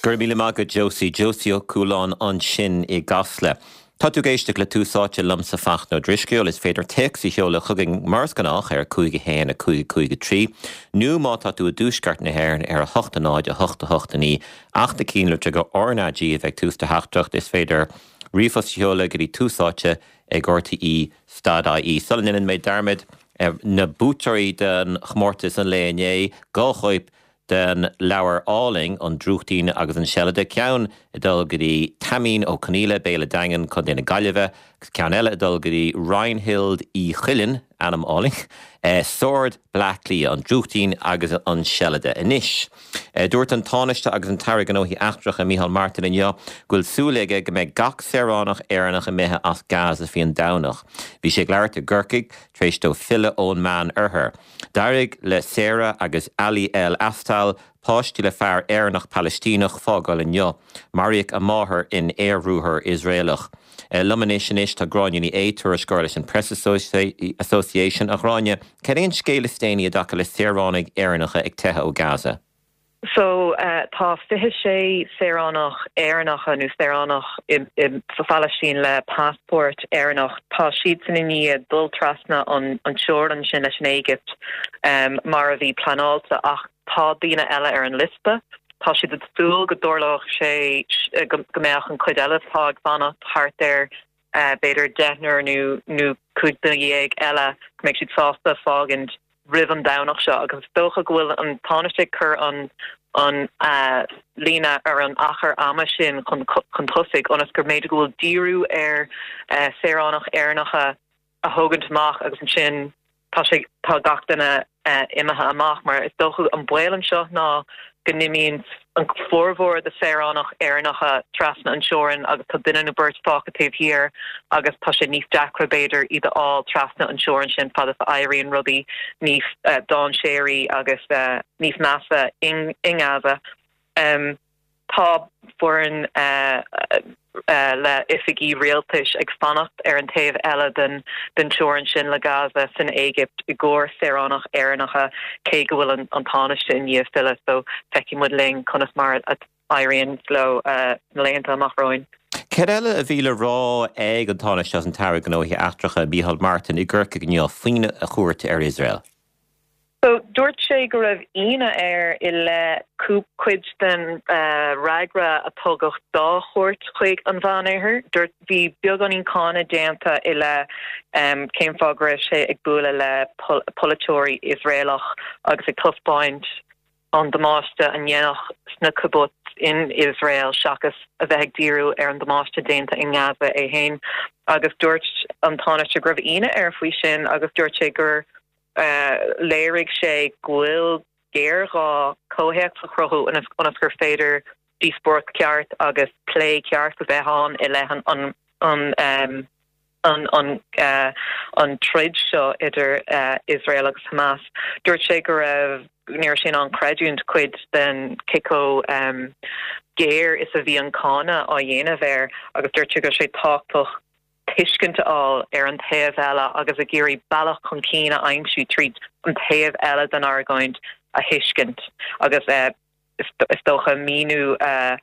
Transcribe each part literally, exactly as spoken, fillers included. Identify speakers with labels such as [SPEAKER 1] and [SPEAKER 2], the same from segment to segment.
[SPEAKER 1] Go raibh míle maith agat Josie Josie Ó Cualáin ansin i gCasla. Tá tú ag éisteacht le Tús Áite liomsa Fachtna Ó Drisceoil is féidir téacs a sheoladh chugainn mar is gnách ar cúig a haon a cúig cúig a trí, nó má tá tú i dtuaisceart na hÉireann ar a hocht a náid a hocht a hocht a naoi ach na cinnlitreacha RnaG a bheith ag tús do theachtaireacht is féidir ríomhphost a sheoladh go dtí tús áite ag RTE dot IE. Sula ndéanann mé dearmad na buaiteoirí den chomórtas an lae inné, dhá chóip den leabhar álainn An Drúchtín agus an Seilide, ceann ag dul go dtí Taimín Ó Conghaile, Béal an Daingin, Contae na Gaillimhe, agus ceann eile ag dul go dtí Reinhild Uí Chuilinn, ainm álainn, Sord, Bleá Cliath, An Drúchtín agus an Seilide. Anois, dúirt an Tánaiste agus an tAire Gnóthaí Eachtracha Micheál Martin inniu go bhfuil súil aige go mbeidh gach saoránach Éireannach imithe as Gaza faoin Domhnach. Bhí sé ag labhairt i gCorcaigh tar éis dó filleadh ón Meán Oirthear. D'éirigh le Sarah agus Ali El Astal, páistí le fear Éireannach Palaistíneach, fágáil inniu. Maraíodh a máthair in aerbhruathar Iosraelach. Liom anois anois tá Gráinne Ní Aodha, tuairisceoir leis an Press Association. A Ghráinne, cad é an scéal is déanaí i dtaca le saoránaigh Éireannacha ag teitheadh ó Gaza?
[SPEAKER 2] So uh, tá fiche sé saoránach Éireannacha nó saoránach sa Phalaistín le passport Éireannach tá siad san i ndiaidh dul trasna an an teorainn sin leis an Éigipt um, mar a bhí pleanáilte ach tá daoine eile ar an liosta. Tá siad ag súil go dtarlódh sé go mbeadh an cuid eile atá ag fanacht thart ar uh, b'fhéidir deichniúr nó nó cúig duine dhéag eile go mbeidh siad sásta fágaint roimh an Domhnach seo agus is dócha go bhfuil an Tánaiste ag cur an an uh, líne ar an achar ama sin chun chun tosaigh ionas gur b'fhéidir go bhfuil díriú ar uh, saoránach Éireannacha a thógaint amach agus ansin tá sé tá gach duine uh, imithe amach mar is dócha an baol anseo ná go n-imíonn an formhór de saoránach Éireannacha trasna an teorainn agus tá duine nó beirt fágtha taobh thiar agus tá sé níos deacra b'fhéidir iad a fháil trasna an teorainn sin fad is a éiríonn rudaí níos uh, dainséaraí agus uh, níos measa in, in Gaza. Um, tá foireann uh, uh, le oifigí rialtais ag fanacht ar an taobh eile den den teorainn sin le Gaza san Éigipt i gcomhair saoránach Éireannacha cé go bhfuil an, an Tánaiste i ndiaidh filleadh so feicfidh muid linn conas mar a éiríonn leo uh, na laethanta amach romhainn.
[SPEAKER 1] Cad eile a bhí le rá ag an Tánaiste agus an tAire Gnóthaí Eachtracha Micheál Martin i gCorcaigh inniu faoina chuairt ar Iosrael?
[SPEAKER 2] So dúirt sé go raibh ionadh air i leith cuid den uh, fhreagra a tugadh dá chuairt chuig an Mheánoirthear. Dúirt bhí beagáinín cáineadh déanta i leith um, cén fáth go raibh sé ag bualadh le pol polaiteoirí Iosraelach agus ag taispeáint an damáiste a dhéanadh sna kibbutz in Israel seachas a bheith ag díriú ar an damáiste déanta in Gaza é féin agus dúirt an Tánaiste go raibh ionadh air faoi sin agus dúirt sé gur uh, léirigh sé go bhfuil géarghá comhthéacs a chruthú ionas gur féidir díospóireacht ceart agus plé ceart a bheith ann i leith an an an um, an an uh, an troid seo idir uh, Israel agus Hamas. Dúirt sé go raibh ní raibh sé in ann creidiúint cuid den cé chomh um, géar is a bhí an cáineadh á dhéanamh air agus dúirt sé go raibh sé tábhachtach tuiscint a fháil ar an taobh eile agus ag iarraidh bealach chun cinn a aimsiú tríd an taobh eile den argóint a thuiscint agus uh, is, is dócha míniú uh,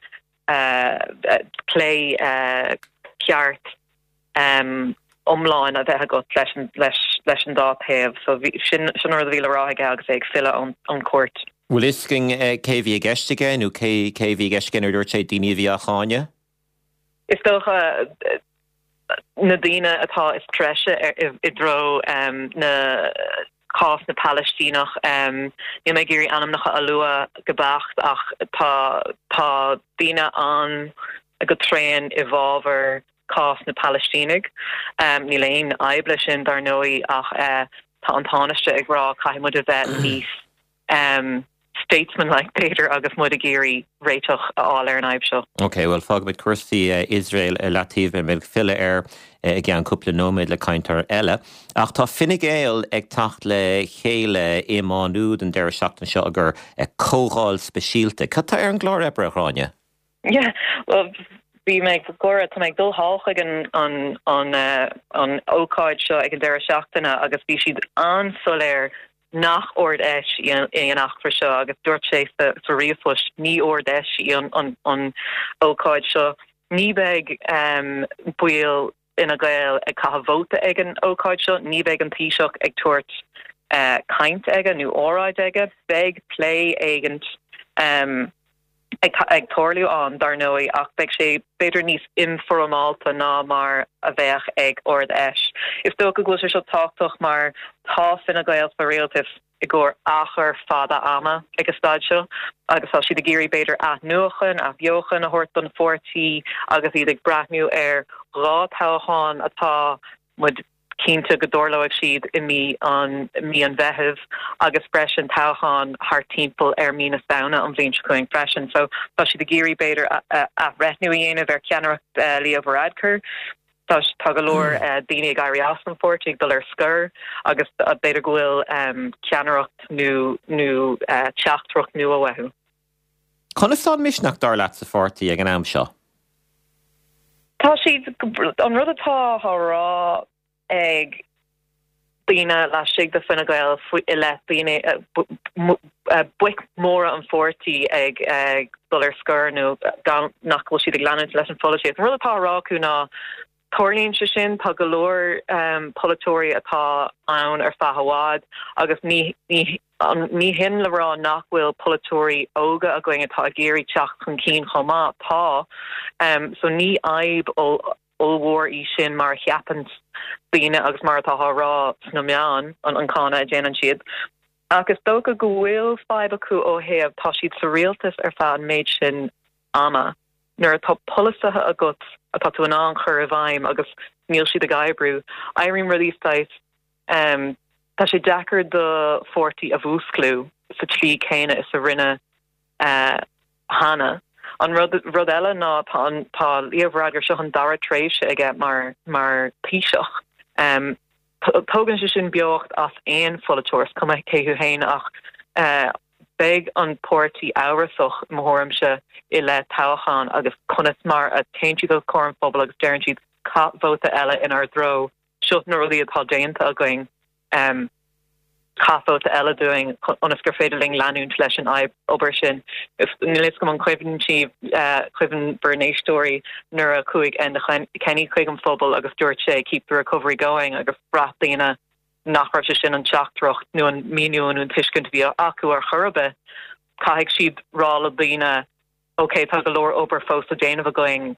[SPEAKER 2] uh, plé uh, ceart um, iomlán a bheith agat leis an, leis, leis an dá taobh, so bhí, sin, sin an rud a bhí le rá aige agus é ag filleadh ón, ón cuairt.
[SPEAKER 1] Bhfuil fhios againn cé bhí i gceist aige nó cé cé bhí i gceist aige nuair a dúirt sé daoine a bhí á cháineadh?
[SPEAKER 2] Is dócha na daoine atá is treise i dtreo um, na cás na Palaistíneach um, níl mé ag iarraidh ainmneacha a lua go beacht ach tá tá daoine an go tréan i bhfabhar cás na Palaistínigh. Um, níl aon fhadhb leis sin dar ndóigh ach uh, tá an Tánaiste ag rá caithfidh muid a bheith níos um, statesman-like b'fhéidir agus muid ag iarraidh réiteach a fháil ar an fhadhb seo.
[SPEAKER 1] Ok, well fágfaimid cúrsaí Iosrael i leataobh beidh mé filleadh air i gceann cúpla nóiméad le cainteoir eile. Ach tá Fine Gael ag teacht le chéile i Má Nuad an deireadh seachtaine seo i gcomhair comhdháil speisialta. Cad tá ar an gclár oibre a Ghráinne?
[SPEAKER 2] Yeah, well bhí mé ag gáire tá mé ag dul thall chuig an an an uh, an ócáid seo ag an deireadh seachtaine agus bhí siad an-soiléir nach Ard-Fheis í an eachtra seo agus dúirt sé sa sa ríomhphost ní Ard-Fheis í an an an ócáid seo. Ní bheidh um, baill Fhine Gael ag caitheamh vóta ag an ócáid seo, ní bheidh an Taoiseach ag tabhairt uh, caint aige nó óráid aige, beidh plé éigin um, ag, ag tarlú ann dar ndóigh ach beidh sé b'fhéidir níos informálta ná mar a bheadh ag Ard-Fheis. Is dócha go bhfuil sé seo tábhachtach mar tá Fine Gael sa rialtas i gcomhair achar fada ama ag an staid seo agus tá siad ag iarraidh b'fhéidir athnuachan athbheochan a thabhairt don pháirtí agus iad ag breathnú ar dhá toghchán atá muid cinnte go dtarlóidh siad i mí an mí an Mheithimh agus freisin toghchán thart timpeall ar mí na Samhna an bhliain seo chugainn freisin. So tá siad ag iarraidh b'fhéidir athbhreithniú a dhéanamh ar cheannaireacht uh, Leo Varadkar. Tá tá go leor uh, daoine ag éirí as an pháirtí ag dul ar scor agus uh, b'fhéidir go bhfuil um, ceannaireacht nó nó uh, teachtaireacht nua uathu.
[SPEAKER 1] Conas tá an misneach dar leat sa pháirtí ag an am seo?
[SPEAKER 2] Tá siad an rud atá á rá ag daoine laistigh de Fine Gael i leith daoine boic móra an pháirtí ag ag dul ar scor nó gan nach bhfuil siad ag leanúint leis an pholaitíocht. An rud atá á rá acu ná tarlaíonn sé sin tá go leor um, polaiteoirí atá ann ar feadh i bhfad agus ní ní ní hin le rá nach bhfuil polaiteoirí óga againn atá ag iarraidh teacht chun cinn chomh maith tá um, so ní fhadhb ollmhór í sin mar a cheapann daoine agus mar atá á rá sna meáin an an cáineadh a dhéanann siad. Ach is dócha go bhfuil fadhb acu ó thaobh tá siad sa rialtas ar feadh an méid sin ama. Nuair atá polasaithe agat atá tú in ann chur i bhfeidhm agus níl siad ag oibriú, éiríonn rudaí saghas um, tá sé deacair do pháirtí a mhúsclú sa tslí céanna is a rinne uh, cheana. An rud, rud eile ná tá tá Leo Varadkar seo an dara tréimhse aige mar mar Taoiseach. Um, tógann sé sin beocht as aon pholaiteoir cuma cé thú féin ach uh, beidh an páirtí amhrasach mo thuairimse i leith toghchán agus conas mar a théann siad os comhair an phobail agus deireann siad caith vóta eile inár dtreo seo na rudaí atá déanta againn. Um, caith vóta eile dúinn ionas gur féidir linn leanúint leis an obair sin. Níl a fhios agam an cuimhin sibh cuimhin bhur n-éisteoirí nuair a chuaigh Enda Kenny chuig an phobal agus dúirt sé keep the recovery going agus bhraith daoine nach raibh sé sin an teachtaireacht nó an míniú nó an tuiscint bhí acu ar chor ar bith. Caithfidh siad rá le daoine ok tá go leor obair fós le déanamh againn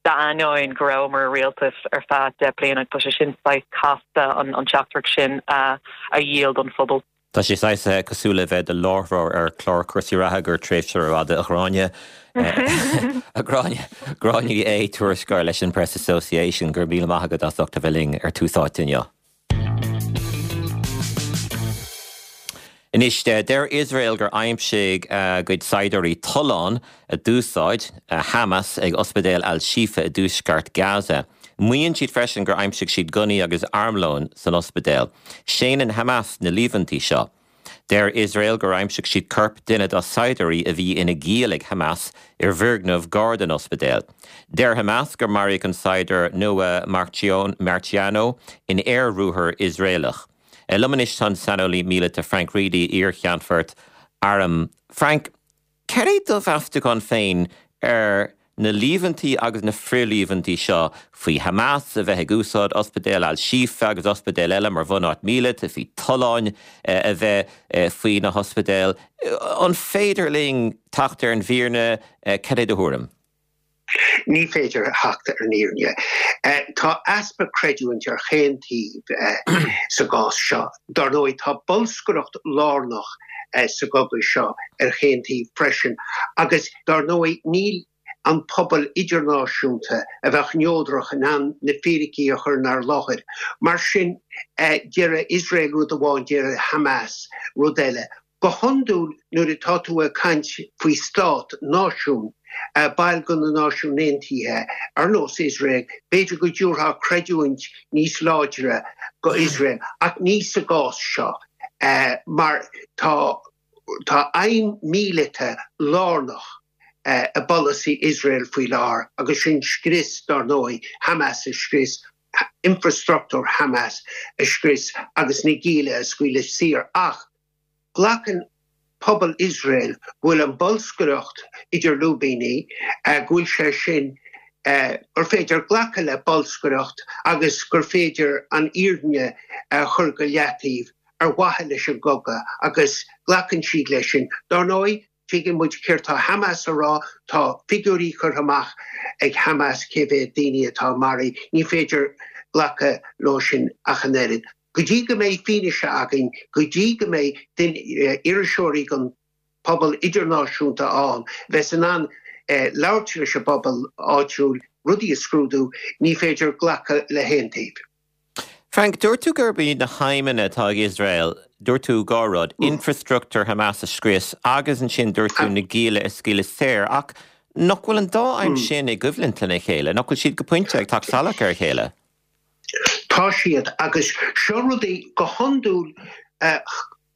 [SPEAKER 2] d'ainneoin go rabhamar i rialtas ar feadh deich bliana tá sé sin saghas casta an an teachtaireacht sin a a dhíol don phobal.
[SPEAKER 1] Tá sé saghas cosúil le bheith i do láithreoir ar chlár cúrsaí reatha go tréimhse fhada a Ghráinne a Ghráinne Gráinne Ní Aodha tuairisceoir leis an Press Association go raibh míle maith agat as ucht a bheith linn ar Tús Áite inniu. Anois, deir Iosrael gur aimsigh a gcuid saighdiúirí tollán a d'úsáid Hamas ag Ospidéal Al-Shifa i dtuaisceart Gaza. Maíonn siad freisin gur aimsigh siad gunnaí agus armlón san ospidéal. Séanann Hamas na líomhaintí seo. Deir Iosrael gur aimsigh siad corp duine dá saighdiúirí a bhí ina ghiall ag Hamas i bhfoirgneamh gar don ospidéal. Deir Hamas gur maraíodh an saighdiúir Noah Marciano in aer-ruathar Iosraelach. Liom anois tá an saineolaí míleata Frank Reidy, iar-cheannfort airm. Frank, cad é do mheastachán féin ar na líomhaintí agus na frithlíomhaintí seo faoi Hamas a bheith ag úsáid Ospidéal Al-Shifa agus ospidéil eile mar bhunáit mhíleata, faoi tolláin a bheith faoi na hospidéil? An féidir linn teacht ar an bhfírinne? Cad é do thuairim?
[SPEAKER 3] Ní féidir theacht ar an fhírinne. Tá easpa creidiúint ar chaon taobh sa gcás seo. Dar ndóigh, tá bolscaireacht lárnach sa gcogadh seo ar chaon taobh freisin agus dar ndóigh níl an pobal idirnáisiúnta a bheadh neodrach in ann na fíricí a chur inár láthair. Mar sin, deir Iosrael rud amháin, deir Hamas rud eile. Go hiondúil nuair atá tú ag caint faoi stát, náisiún, baill de na Náisiúin Aontaithe, ar nós Iosrael, b'fhéidir go dtabharfá creidiúint níos láidre go Iosrael, ach ní sa gcás seo, mar tá tá aidhm míleata lárnach i bpolasaí Iosrael faoi láthair agus sin scrios, dar ndóigh, Hamas a scrios, infrastruchtúr Hamas a scrios agus na gialla a scaoileadh saor. Ach Glacann pobal Iosrael go bhfuil an bolscaireacht idir lúibíní, go bhfuil sé sin, gur féidir glacadh le bolscaireacht agus gur féidir an fhírinne a chur go leataobh ar mhaithe leis an gcogadh agus glacann siad leis sin. Dar ndóigh, tuigeann muid céard tá Hamas a rá, tá figiúirí curtha amach ag Hamas cé mhéad daoine atá maraithe, ní féidir glacadh leo sin ach an oiread. Go dtí go mbeidh fianaise againn, go dtí go mbeidh iriseoirí den phobal idirnáisiúnta ann, bheas in ann labhairt leis an bpobal áitiúil, rudaí a scrúdú, ní féidir glacadh le haon taobh.
[SPEAKER 1] Frank, dúirt tú gurb iad na haidhmeanna atá ag Iosrael, dúirt tú dhá rud, infreastruchtúr Hamas a scrios agus ansin dúirt tú na gialla a scaoileadh saor, ach nach bhfuil an dá aidhm sin i gcoimhlint lena chéile? Nach bhfuil siad go pointe ag teacht salach ar a chéile?
[SPEAKER 3] Tá siad, agus seo rudaí go hiondúil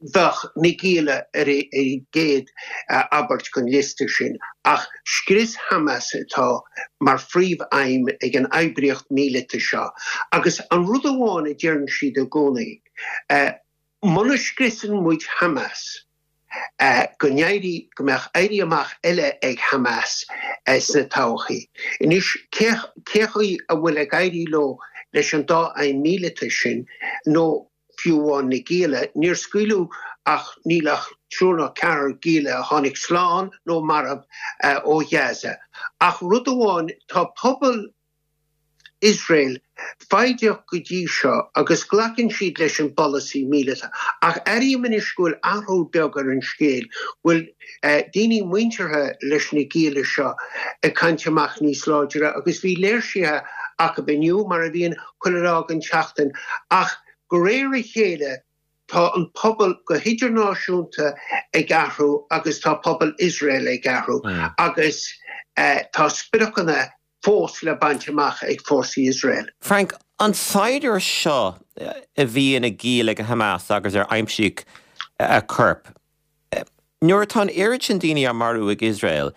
[SPEAKER 3] bheadh na gialla ar an gcéad abairt den liosta sin, ach scrios Hamas atá mar phríomh-aidhm ag an oibríocht míleata seo. Agus an rud amháin a deireann siad i gcónaí, muna scriosann muid Hamas, go n-éirí, go mbeadh éirí amach eile ag Hamas sna todhchaí. Anois, cé chaoi a bhfuil ag éirí leo leis an dá aidhm míleata sin, nó fiú amháin na gialla, níor scaoileadh ach níl ach triúr nó ceathrar gialla a tháinig slán nó marbh ó Ghaza. Ach rud amháin, tá pobal Iosrael foighdeach go dtí seo agus glacann siad leis an bpolasaí míleata. Ach airím anois go bhfuil athrú beag ar an scéal, go bhfuil daoine muinteartha leis na gialla seo ag caint amach níos láidre agus bhí léirsithe acu inniu, mar a bhíonn chuile lá den tseachtain, ach De réir a chéile, tá an pobal go hidirnáisiúnta ag athrú agus tá pobal Iosrael ag athrú agus tá spriocanna fós le baint amach ag fórsaí Iosrael.
[SPEAKER 1] Frank, an saighdiúir seo a bhí ina ghiall ag Hamas agus ar aimsíodh a chorp, Nuair atá an oiread sin daoine á marú ag Iosrael,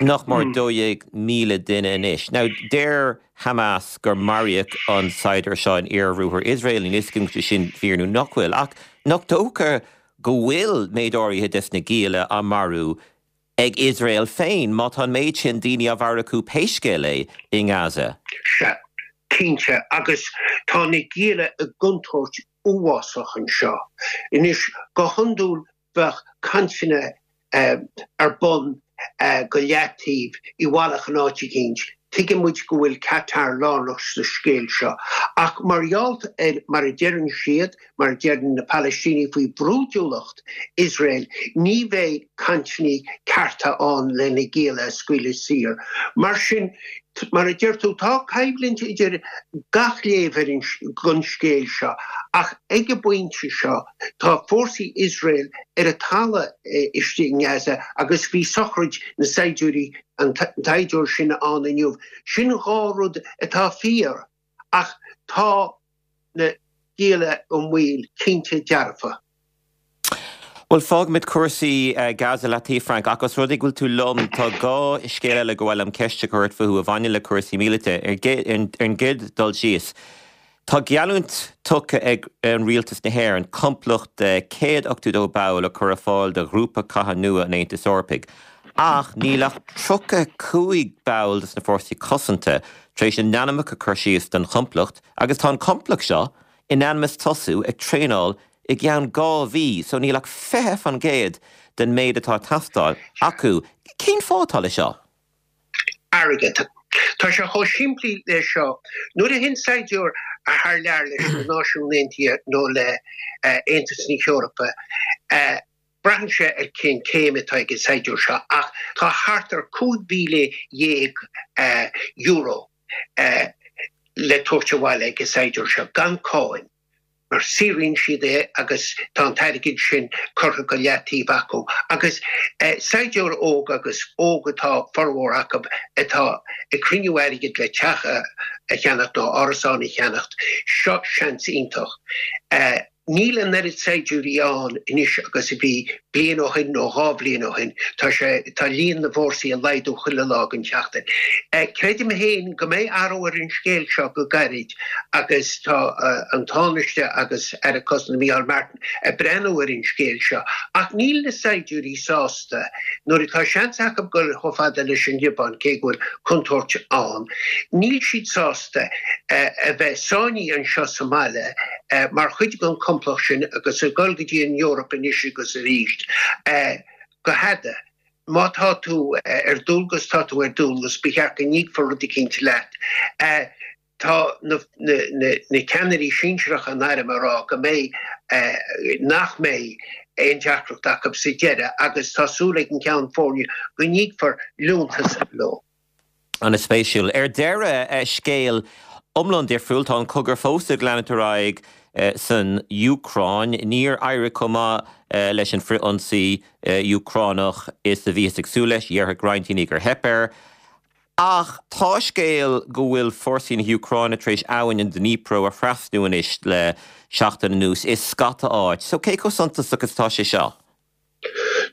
[SPEAKER 1] nach mór dó dhéag míle duine anois. Now, deir Hamas gur maraíodh an saighdiúir seo in iarbhruathar Iosrael, níl a fhios agam an bhfuil sé sin fíor nó nach bhfuil, ach nach dócha go bhfuil méid áirithe des na gialla á marú ag Iosrael féin, má tá an méid sin daoine á mharú acu pé scéal é i nGaza?
[SPEAKER 3] Sea, cinnte, agus tá na gialla i gcontúirt uafásach anseo. Anois, go hiondúil bheadh cainteanna ar bun go leataobh i bhfalach in áit eicínt. Tuigeann muid go bhfuil Qatar lárnach sa scéal seo. Ach mar gheall ar, mar a deireann siad, mar a deireann na Palaistínigh faoi bhrúidiúlacht Iosrael, ní bheidh cainteanna cearta ann le na gialla a scaoileadh saor. Mar sin, Mar a deir tú, tá coimhlint idir gach léamh ar an scéal seo, ach ag an bpointe seo tá fórsaí Iosrael ar an talamh istigh i nGaza agus bhí sochraid na saighdiúirí, an tsaighdiúir sin ann inniu. Sin dhá rud atá fíor, ach tá na gialla i mbaol, cinnte dearfa.
[SPEAKER 1] Bhuel, fágfaimid cúrsaí Gaza leataobh, Frank, ach os rud é go bhfuil tú liom, tá dhá scéal eile gur mhaith liom ceist a chur ort fúthu a bhaineann le cúrsaí míleata. Ar an gcéad dul síos, tá geallúint tugtha ag an Rialtas na hÉireann complacht de céad ochtó dó ball a chur ar fáil do ghrúpa catha nua an Aontais Eorpaigh. Ach níl ach tríocha cúig ball de na Fórsaí Cosanta tar éis a n-ainmneacha a chur síos don chomplacht agus tá an complacht seo in ainm is tosú ag traenáil i gceann dhá mhí, so níl ach fiche fan gcéad den méid atá ag teastáil acu. Cén fáth atá le seo?
[SPEAKER 3] Airgead. Tá sé chomh simplí le seo. Nuair a théann saighdiúir thar lear leis na Náisiúin Aontaithe nó le Aontas na hEorpa, braitheann sé ar cén céim atá ag an saighdiúir seo, ach tá thart ar cúig mhíle dhéag euro le tabhairt abhaile ag an saighdiúir seo, gan cáin, mar saothraíonn siad é agus tá an t-airgead sin curtha go leataobh acu. Agus saighdiúir óg, agus óg atá formhór acu, atá ag cruinniú airgid le teach a cheannacht nó árasán a cheannacht, seo seans iontach. Níl an oiread saighdiúirí ann anois agus a bhí bliain ó shin nó dhá bhliain ó shin. Tá sé, tá líon na bhfórsaí ag laghdú chuile lá den tseachtain. Creidim féin go mbeidh athrú ar an scéal seo go gairid agus tá an Tánaiste agus Aire Cosanta Micheál Martin ag breathnú ar an scéal seo. Ach níl na saighdiúirí sásta nuair atá seans acu dul chomh fada leis an Liobáin, cé go bhfuil contúirt ann. Níl siad sásta a bheith sáinnithe anseo sa mbaile mar chuid den chomplacht sin agus ag dul go dtí an Eoraip anois agus arís go fada. Má tá tú ar dualgas, tá tú ar dualgas, ba cheart go n-íocfar rud eicínt leat. Tá na ceannairí sinsearacha an airm ag rá go mbeidh, nach mbeidh aon deacracht acu sa deireadh agus tá súil ag an gCeann Foirne go n-íocfar liúntas leo.
[SPEAKER 1] An-spéisiúil. Ar deireadh, scéal iomlán difriúil, tá an cogadh fós ag leanúint ar aghaidh san Úcráin. Níor éirigh chomh maith leis an frith-ionsaí Úcránach is a bhíothas ag súil leis, déarfadh roinnt daoine gur theip air. Ach tá scéal go bhfuil fórsaí na hÚcráine tar éis abhainn an Dnipro a thrasnú anois le seachtain anuas i scata áit. So cé chomh suntasach is atá sé seo?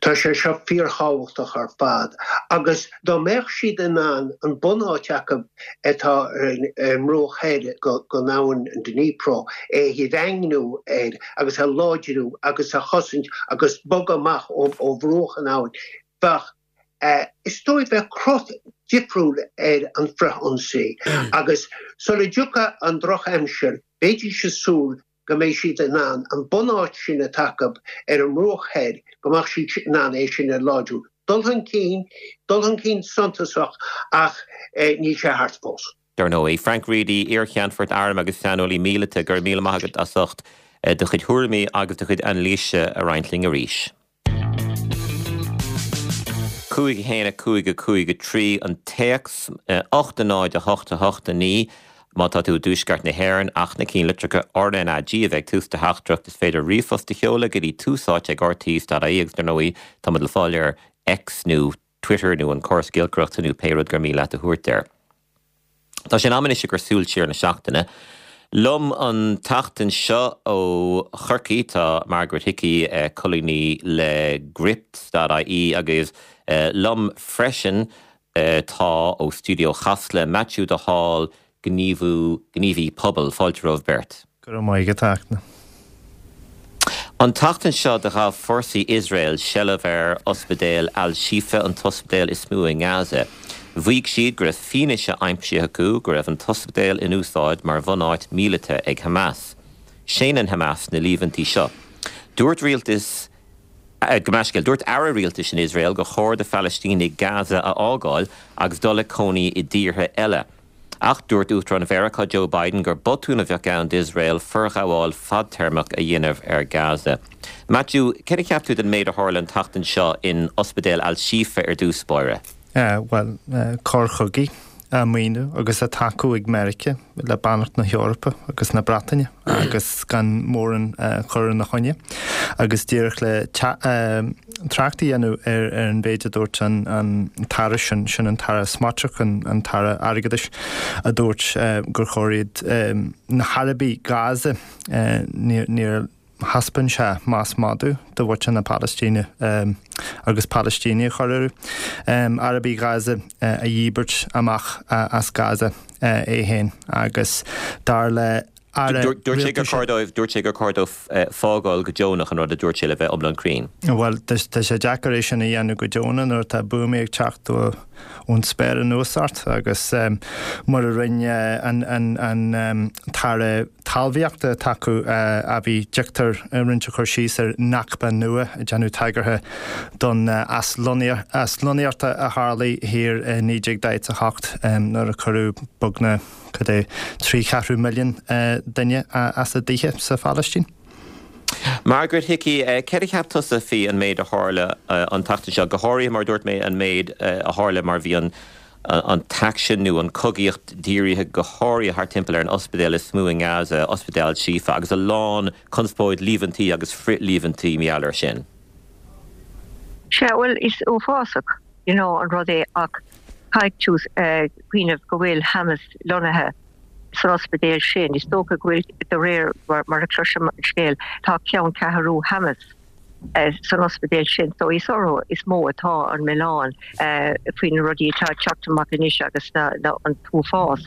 [SPEAKER 3] Tá sé seo fíorthábhachtach ar fad agus dá mbeadh siad in ann an bunáit acu atá ar an mbruach thoir den abhainn an Dnipro a dhaingniú air agus a láidriú agus a chosaint agus bogadh amach ó bhruach an abhainn, bheadh, is dóigh, bheadh cruth difriúil ar an frith-ionsaí agus sula dtiocfaidh an drochaimsir bheidís ag súil go mbeidh siad in ann an bunáit sin atá acu ar an mbruach thoir, go mbeadh siad in ann é sin a láidriú. Dul chun cinn, dul chun cinn suntasach ach níl sé thart fós.
[SPEAKER 1] Dar ndóigh. Frank Reidy, iar-Cheannfort Airm agus saineolaí míleata, go raibh míle maith agat as ucht do chuid thuairimí agus do chuid anailíse a roinnt linn arís. cúig a haon a cúig a cúig a trí an téacs, ocht a náid a hocht a hocht a naoi má tá tú i dtuaisceart na hÉireann ach na cinnlitreacha RnaG a bheith ag tús do theachtaireacht. Is féidir ríomhphost a sheoladh go dtí túsáite ag rte.ie agus dar ndóigh tá muid le fáil ar X nó Twitter nó an córas giolcaireachta nó pé rud gur mian leat a thabhairt air. Tá sé in am anois ag cur súil siar na seachtaine. Liom an tseachtain seo ó Chorcaigh tá Margaret Hickey, colúnaí le Gript.ie agus liom freisin tá ó Stiúideo Chasla, Maitiú de Hál, gníomhú, gníomhaí pobail. Fáilte romhaibh beirt.
[SPEAKER 4] Go raibh maith agat, a Fhachtna.
[SPEAKER 1] An tseachtain seo do ghabh fórsaí Iosrael seilbh ar Ospidéal Al-Shifa, an t-ospidéal is mó i nGaza. Mhaígh siad go raibh fianaise aimsithe acu go raibh an t-ospidéal in úsáid mar bhunáit mhíleata ag Hamas. Séanann Hamas na líomhaintí seo. Dúirt rialtas, gabh mo leithscéal, dúirt aire rialtais in Iosrael gur chóir do Phalaistínigh Gaza a fhágáil agus dul ag cónaí i dtíortha eile. Ach dúirt Uachtarán Mheiriceá Joe Biden gur botún a bheadh ann d'Iosrael forghabháil fadtéarmach a dhéanamh ar Gaza. Maitiú, céard a cheap tú den méid a tharla an tseachtain seo in Ospidéal Al-Shifa ar dtús báire?
[SPEAKER 4] Bhuel, coir chogaidh á maoiniú agus á tacú ag Meiriceá le beannacht na hEorpa agus na Breataine agus gan mórán cur ina choinne. Agus díreach le trácht a dhéanamh ar an mhéid a dúirt an tAire sin, sin an tAire Smotrich, an tAire Airgeadais, a dúirt gur chóir iad na hArabaigh Gaza, níor thaispeáin sé meas madaidh do mhuintir na Palaistíne agus Palaistínigh a chur orthu, Arabaigh Ghaza a dhíbirt amach as Gaza é féin agus dar le
[SPEAKER 1] Aire Dúirt sé gur chóir dóibh, dúirt sé gur chóir dóibh fágáil go deonach an rud a dúirt sé le bheith iomlán cruinn.
[SPEAKER 4] Bhuel, tá sé deacair é sin a dhéanamh go deonach nuair atá buamaí ag teacht ón spéir anuas ort agus mar a rinne an tAire Talmhaíochta atá acu, Avi Dichter, rinne sé cur síos ar Nakba nua, ag déanamh tagartha don aslonnaíocht a tharlaigh thiar i naoi déag daichead a hocht nuair a cuireadh beagnach cad é, trí cheathrú milliún duine as a dtithe sa Phalaistín.
[SPEAKER 1] Margaret Hickey, céard a cheap tusa faoi an méid a tharla an tseachtain seo, go háirithe mar a dúirt mé an méid a tharla mar bhí an an t-aicsean nó an chogaíocht dírithe go háirithe thart timpeall ar an ospidéal is mó i nGaza, Ospidéal Al-Shifa, agus a lán conspóid, líomhaintí agus frith-líomhaintí mar gheall air sin.
[SPEAKER 5] Sea, bhuel, is uafásach, you know, an rud é ach caithfidh tú cuimhneamh go bhfuil Hamas lonnaithe san ospidéal sin is dócha go bhfuil de réir mar a chloisim an scéal tá ceanncheathrú Hamas eh, san ospidéal sin so is orthu is mó atá an milleán eh, faoi na rudaí atá ag teacht amach anois agus na, na, an t-uafás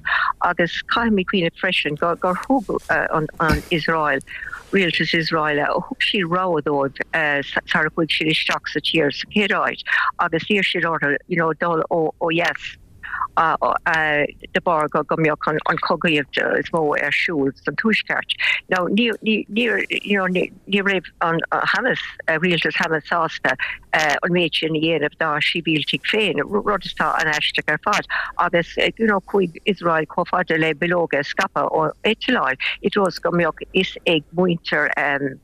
[SPEAKER 5] agus caithfimid cuimhneamh freisin gur gur thug eh, an, an Israel rialtas Israel thug siad rabhadh dóibh eh, sar a chuaigh siad isteach sa tír sa chéad áit agus d'iarr siad orthu you know, dul ó ó dheas de bharr go go mbeadh an an cogaíocht is mó ar siúl san tuaisceart. Now ní ní ní you know, ní ní raibh an Hamas rialtas Hamas sásta an méid sin a dhéanamh dá sibhialtaigh féin rud atá an-aisteach ar fad agus you know, chuaigh Israel chomh fada le bileoga a scaipeadh ó eitleáin i dtreo go mbeadh fhios ag muintir um,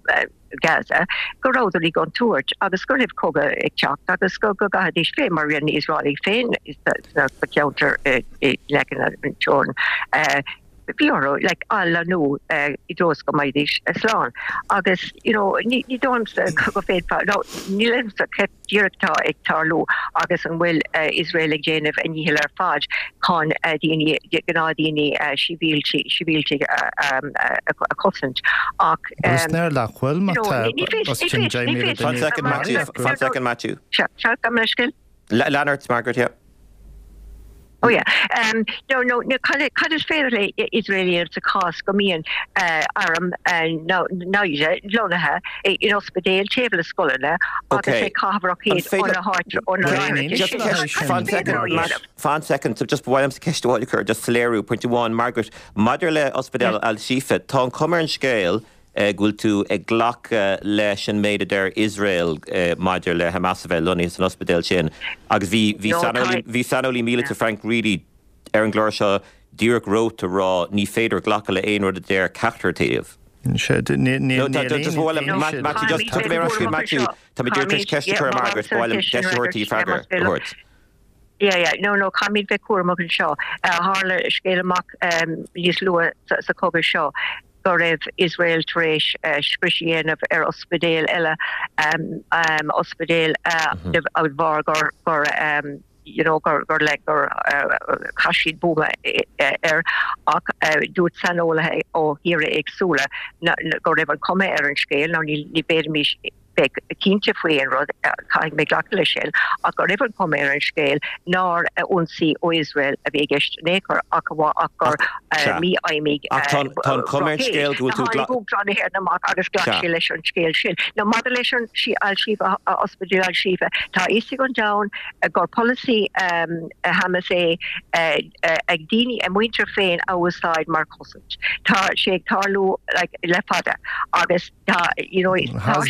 [SPEAKER 5] Gaza go rabhadar i gcontúirt agus go raibh cogadh ag teacht agus go go gcaithfidís féin mar rinne Israel féin sa cheantar leis an teorainn. Bhí orthu like athlonnú i dtreo go mbeidís slán agus you know ní ní dóigh liomsa go bhféadfá no níl a fhios agam cad díreach atá ag tarlú agus an bhfuil Israel ag déanamh a ndícheall ar fad chun daoine gnáthdhaoine sibhialtaigh a chosaint ach
[SPEAKER 4] nach bhfuil
[SPEAKER 1] One second Matthew. Lean ort Margaret yeah.
[SPEAKER 5] Oh yeah. Um, no, no, no, cad is féidir le Israel a dhéanamh sa chás go mbíonn uh, arm uh, naimhde lonnaithe in ospidéal taobh le scoileanna agus ag caitheamh
[SPEAKER 1] Fan second, so just bhhaim ceist chur just soiléiriú pointe amháin Margaret maidir le ospidéal Al-Shifa tá an chuma ar an scéal go bhfuil tú ag glacadh leis an méid a deir Israel maidir le Hamas a bheith lonnaithe san ospidéal sin agus bhí bhí saineolaí míleata Frank Reidy ar an gclár seo díreach romhat ag rá ní féidir glacadh le aon rud a deir ceachtar taobh. Tá dúir ceiste chu Margaret bhhaim deisiúirtí freagar thuirt.
[SPEAKER 5] Yeah, yeah, no, no, caithfimid bheith cúramach anseo. Tharla scéal amach níos luaithe sa chogadh seo go raibh Israel tar éis scrios a dhéanamh ar ospidéal eile um, um, ospidéal uh, mm -hmm. bharr gur gur um, you know gur gur le gur uh, chaith siad buama air ach uh, dúirt saineolaithe ó thíortha éagsúla go raibh an chuma ar an scéal nó ní ní bhféadfaimis bheith cinnte faoi an rud caithfidh mé glacadh leis sin ach go raibh an chuma ar an scéal nár ionsaí ó Israel a bhí i gceist in aon chor ach ach gur mífheidhmigh
[SPEAKER 1] scéal
[SPEAKER 5] go amach agus ghlac sé leis an scéal sin. Now maidir leis an sí Al-Shifa Ospidéal Al-Shifa tá fhios ag an domhan gur polasaí um, Hamas é ag daoine a muintir féin a úsáid mar chosaint. Tá sé ag tarlú like, le fada agus tá you know, tá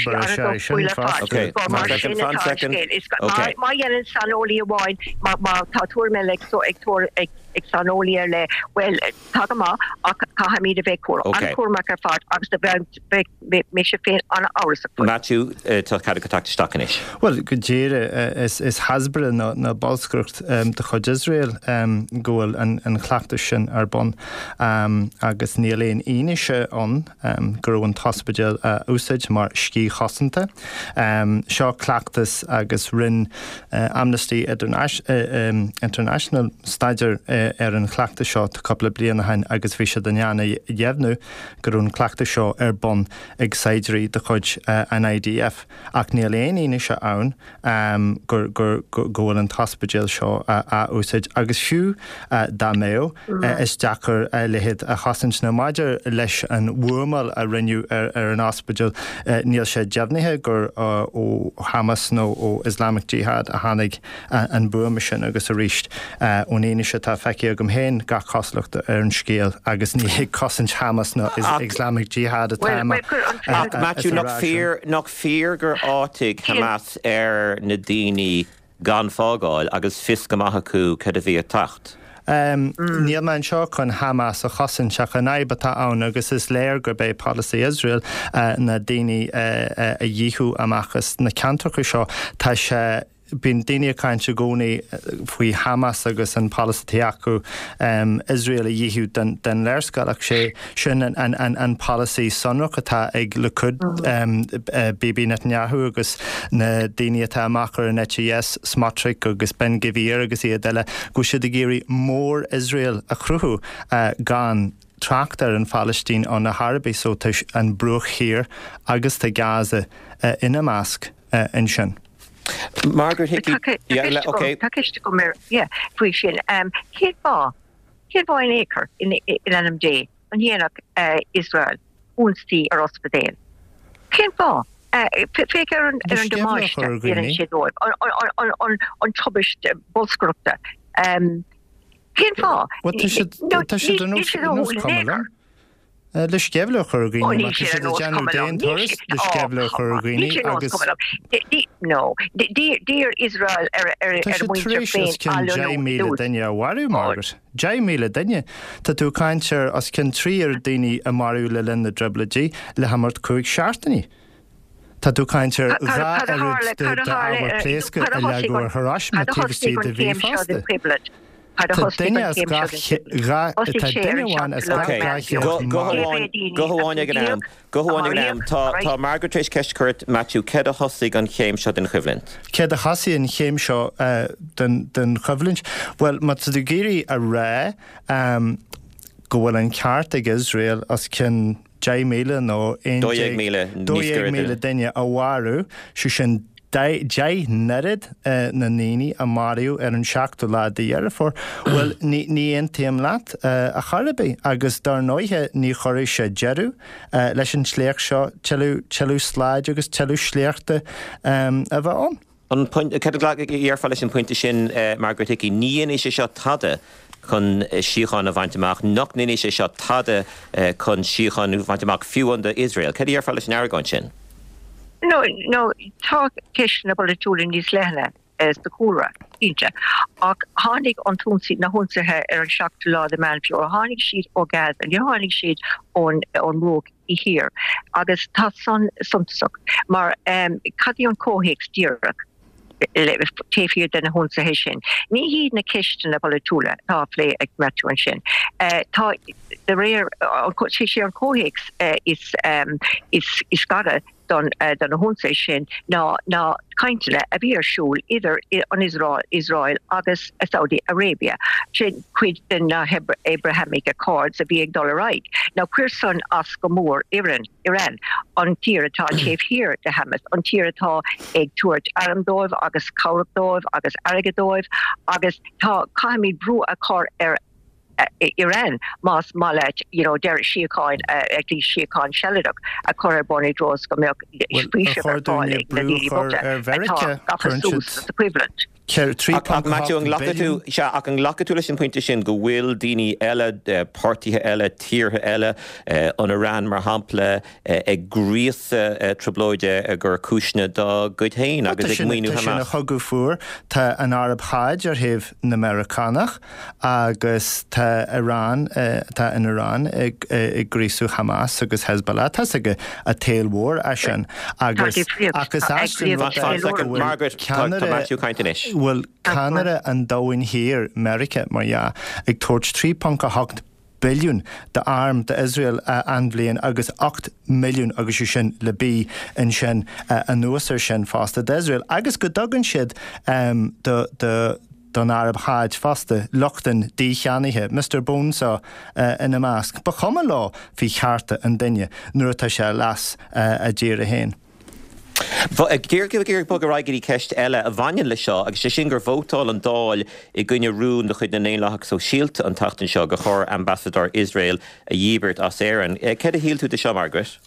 [SPEAKER 5] má dhéanann saineolaí amháin má tá tuairim ag so ag ag ag saineolaí ar leith well tá go maith ach caithfimid a bheith cúram an-chúramach ar fad agus do bheith mise féin an-amhrasach faoi.
[SPEAKER 1] Matthew tá cead agat teacht isteach anois.
[SPEAKER 4] Well go díreach is is Hasbara ná ná bolscaireacht de chuid Israel go bhfuil an an cleachtas sin ar bun agus níl aon fhianaise ann go raibh an t-ospidéal a úsáid mar sciath chosanta. Seo cleachtas agus rinne Amnesty International staidéar ar an chleachtas seo cúpla bliain ó shin agus bhí siad in ann a dheimhniú go raibh an cleachtas seo ar bun ag saighdiúirí de chuid an IDF ach níl aon fhianaise ann gur gur go bhfuil an t-ospidéal seo á úsáid agus fiú dá mbeadh is deacair a leithéid a chosaint nó maidir leis an bhuamáil a rinneadh ar ar an ospidéal níl sé deimhnithe gur ó Hamas nó ó Islamic Jihad a tháinig an buama sin agus arís ón fhianaise atá feicthe agam féin gach cosúlacht ar an scéal agus ní ag cosaint Hamas nó Islamic Jihad atá mé.
[SPEAKER 1] Ach Matthew nach fíor nach fíor gur áitigh Hamas ar na daoine gan fágáil agus fios go maith acu cad a bhí ag teacht.
[SPEAKER 4] Níl mé anseo chun Hamas a chosaint ach an fhadhb atá ann agus is léir gurb é polasaí Iosrael na daoine a dhíothú amach as na ceantracha seo. Tá sé Bíonn daoine ag caint i gcónaí faoi Hamas agus an polasaí atá acu Iosrael a dhíothú den léarscáil ach sé sin an polasaí sonrach atá ag Likud, Bibi Netanyahu agus na daoine atá amach ar an eite dheis, Smotrich agus Ben Gvir agus iad eile, go bhfuil siad ag iarraidh mór-Iosrael a chruthú gan trácht ar an Phalaistín ann ar chor ar bith so tá an Bruach Thiar agus tá Gaza ina measc ansin.
[SPEAKER 1] Margaret Hickey,
[SPEAKER 5] Tá ceist agam faoi sin. Cén fáth cén fáth in aon chor in ainm Dé an ndéanfadh Iosrael ionsaí ar ospidéal? Cén fáth? Féach ar an damáiste a dhéanann sé dóibh, an tubaiste bolscaireachta. Cén fáth?
[SPEAKER 4] Tá siad ar nós cuma liom. Le sceimhle a chur ar dhaoine, má tá siad ag déanamh d'aon turas le sceimhle a chur ar dhaoine agus.
[SPEAKER 5] No, d'iarr Iosrael ar a
[SPEAKER 4] Tá siad tar
[SPEAKER 5] muintir
[SPEAKER 4] éis
[SPEAKER 5] féin
[SPEAKER 4] os cionn
[SPEAKER 5] athlonnú
[SPEAKER 4] deich míle
[SPEAKER 5] dtús.
[SPEAKER 4] duine a mharú, Margaret. Deich míle duine. Tá tú ag caint ar os cionn trí oiread daoine a maraíodh le linn na dTrioblóidí le himeacht cúig seachtainí. Tá tú ag caint ar
[SPEAKER 5] Cad
[SPEAKER 4] dhá
[SPEAKER 5] cad a
[SPEAKER 4] oiread
[SPEAKER 5] tharla
[SPEAKER 4] de
[SPEAKER 5] cad a tharla
[SPEAKER 4] d'ábhar pléasctha
[SPEAKER 5] cad
[SPEAKER 4] a
[SPEAKER 5] a thosaigh
[SPEAKER 4] leagadh
[SPEAKER 5] an
[SPEAKER 4] ar Hiroshima
[SPEAKER 5] cad a
[SPEAKER 4] taobh
[SPEAKER 5] thosaigh
[SPEAKER 4] istigh
[SPEAKER 5] an
[SPEAKER 4] de mhí
[SPEAKER 5] chéim seo den
[SPEAKER 4] fosta.
[SPEAKER 5] choimhlint? Cad a
[SPEAKER 4] Tá
[SPEAKER 5] thosaigh
[SPEAKER 4] duine
[SPEAKER 5] an
[SPEAKER 4] as
[SPEAKER 5] chéim seo
[SPEAKER 4] gach
[SPEAKER 5] den
[SPEAKER 4] dhá
[SPEAKER 5] Thosaigh
[SPEAKER 4] tá
[SPEAKER 5] sé ar
[SPEAKER 4] duine
[SPEAKER 5] an
[SPEAKER 4] amháin as
[SPEAKER 5] seachtú lá
[SPEAKER 4] gach
[SPEAKER 5] de
[SPEAKER 4] dhá
[SPEAKER 5] Mheán
[SPEAKER 4] chéad
[SPEAKER 5] Fómhair.
[SPEAKER 1] Go
[SPEAKER 4] marbh.
[SPEAKER 1] hamháin go hamháin ag an am. Go hamháin ag an am. Tá tá Margaret tar éis ceist a chur ort, Matthew, céard a thosaigh an chéim seo den choimhlint?
[SPEAKER 4] Céard a thosaigh an chéim seo den den choimhlint? Bhuel, má tá tú ag iarraidh a rá go bhfuil an ceart ag Iosrael os cionn deich míle nó aon
[SPEAKER 1] Dó dhéag
[SPEAKER 4] déag
[SPEAKER 1] míle
[SPEAKER 4] dó
[SPEAKER 1] níos
[SPEAKER 4] dhéag
[SPEAKER 1] gaire
[SPEAKER 4] míle duine a mharú, sé sin deich n-oiread na ndaoine a maraíodh ar an seachtú lá de Dheireadh Fómhair. Bhuel, ní ní aontaím leat ar chor ar bith agus dar ndóighe ní chuirfidh sé deireadh leis an sléacht seo tuilleadh tuilleadh slaid agus tuilleadh sléachta a bheith ann.
[SPEAKER 1] An point, céard a dhéarfá leis an pointe sin, Margaret Hickey, ní dhéanfaidh sé seo tada chun síocháin a bhaint amach, nach ndéanfaidh sé seo tada chun síocháin a bhaint amach fiú amháin d'Iosrael. Céard a dhéarfá leis an argóint sin?
[SPEAKER 5] No, no, tá ceisteanna polaitiúla níos leithne sa chúlra, cinnte. Ach tháinig an t-ionsaí, na hionsaithe ar an seachtú lá de Mheán Fómhair, tháinig siad ó Gaza, níor tháinig siad ón ón mBruach Thiar. Agus tá san suntasach, mar cad é an comhthéacs díreach taobh thiar de na hionsaithe sin? Ní hiad na ceisteanna polaitiúla atá á phlé ag Matthew ansin. Tá, de réir, sé sé an comhthéacs is is is gaire don do na hionsaithe sin ná na cainteanna a bhí ar siúl idir an Iosrael agus Saudi Arabia. Sin cuid de na Abrahamic Accords a bhí ag dul ar aghaidh. Now chuir san as go mór Iran, Iran, an tír atá taobh thiar de Hamas, an tír atá ag tabhairt arm dóibh agus cabhrach dóibh agus airgead dóibh agus tá caithfimid brú a chur ar Iran más maith leat you know deireadh síocháin at least síocháin sealadach a chur ar bun i dtreo is go mbeadh faoiseamh ar fáil ag na daoine bochta atá gafa suas sa choimhlint.
[SPEAKER 1] Ach Matthew, an nglacfaidh tú, sea, ach an nglacfaidh tú leis an pointe sin go bhfuil daoine eile, páirtithe eile, tíortha eile, an Iran mar shampla, ag gríosadh trioblóide i gcomhair cúiseanna dá gcuid féin agus ag maoiniú
[SPEAKER 4] Tá sé ina
[SPEAKER 1] Hamas?
[SPEAKER 4] chogadh fuar. Tá an Araib Sháid ar thaobh na Meiriceánach agus tá Iran, tá an Iran ag ag gríosadh Hamas agus Hezbollah. Tá a fhios ag an tsaol mhór é sin
[SPEAKER 5] Tá
[SPEAKER 4] agus
[SPEAKER 5] difríocht,
[SPEAKER 4] agus
[SPEAKER 5] tá
[SPEAKER 4] as sin
[SPEAKER 5] ag
[SPEAKER 4] rud
[SPEAKER 5] gríosadh
[SPEAKER 4] é go
[SPEAKER 5] ceiliúradh.
[SPEAKER 4] bhfuil
[SPEAKER 1] Margaret, tá tá
[SPEAKER 4] ceannaire
[SPEAKER 1] Matthew ag caint anois.
[SPEAKER 4] bhfuil ceannaire an domhain thiar, Meiriceá mar dhea, ag tabhairt trí ponc a hocht billiún d'arm d'Iosrael an bhliain agus ocht milliún agus sé sin le bí ansin anuas air sin fosta d'Iosrael agus go dtugann siad do do don Araib Sháid fosta, lucht an dícheannaithe, Mister Bonesaw ina measc. Ba chuma leo faoi chearta an duine nuair atá sé leas a dtíre féin.
[SPEAKER 1] Ag iarraidh bogadh ar aghaidh go dtí ceist eile a bhaineann leis seo, agus sé sin gur vótáil an Dáil i gcoinne rún de chuid na nDaonlathach Sóisialta an tseachtain seo gur chóir ambasadóir Iosrael a dhíbirt as Éirinn. Céard a shíl tú de seo, Margaret?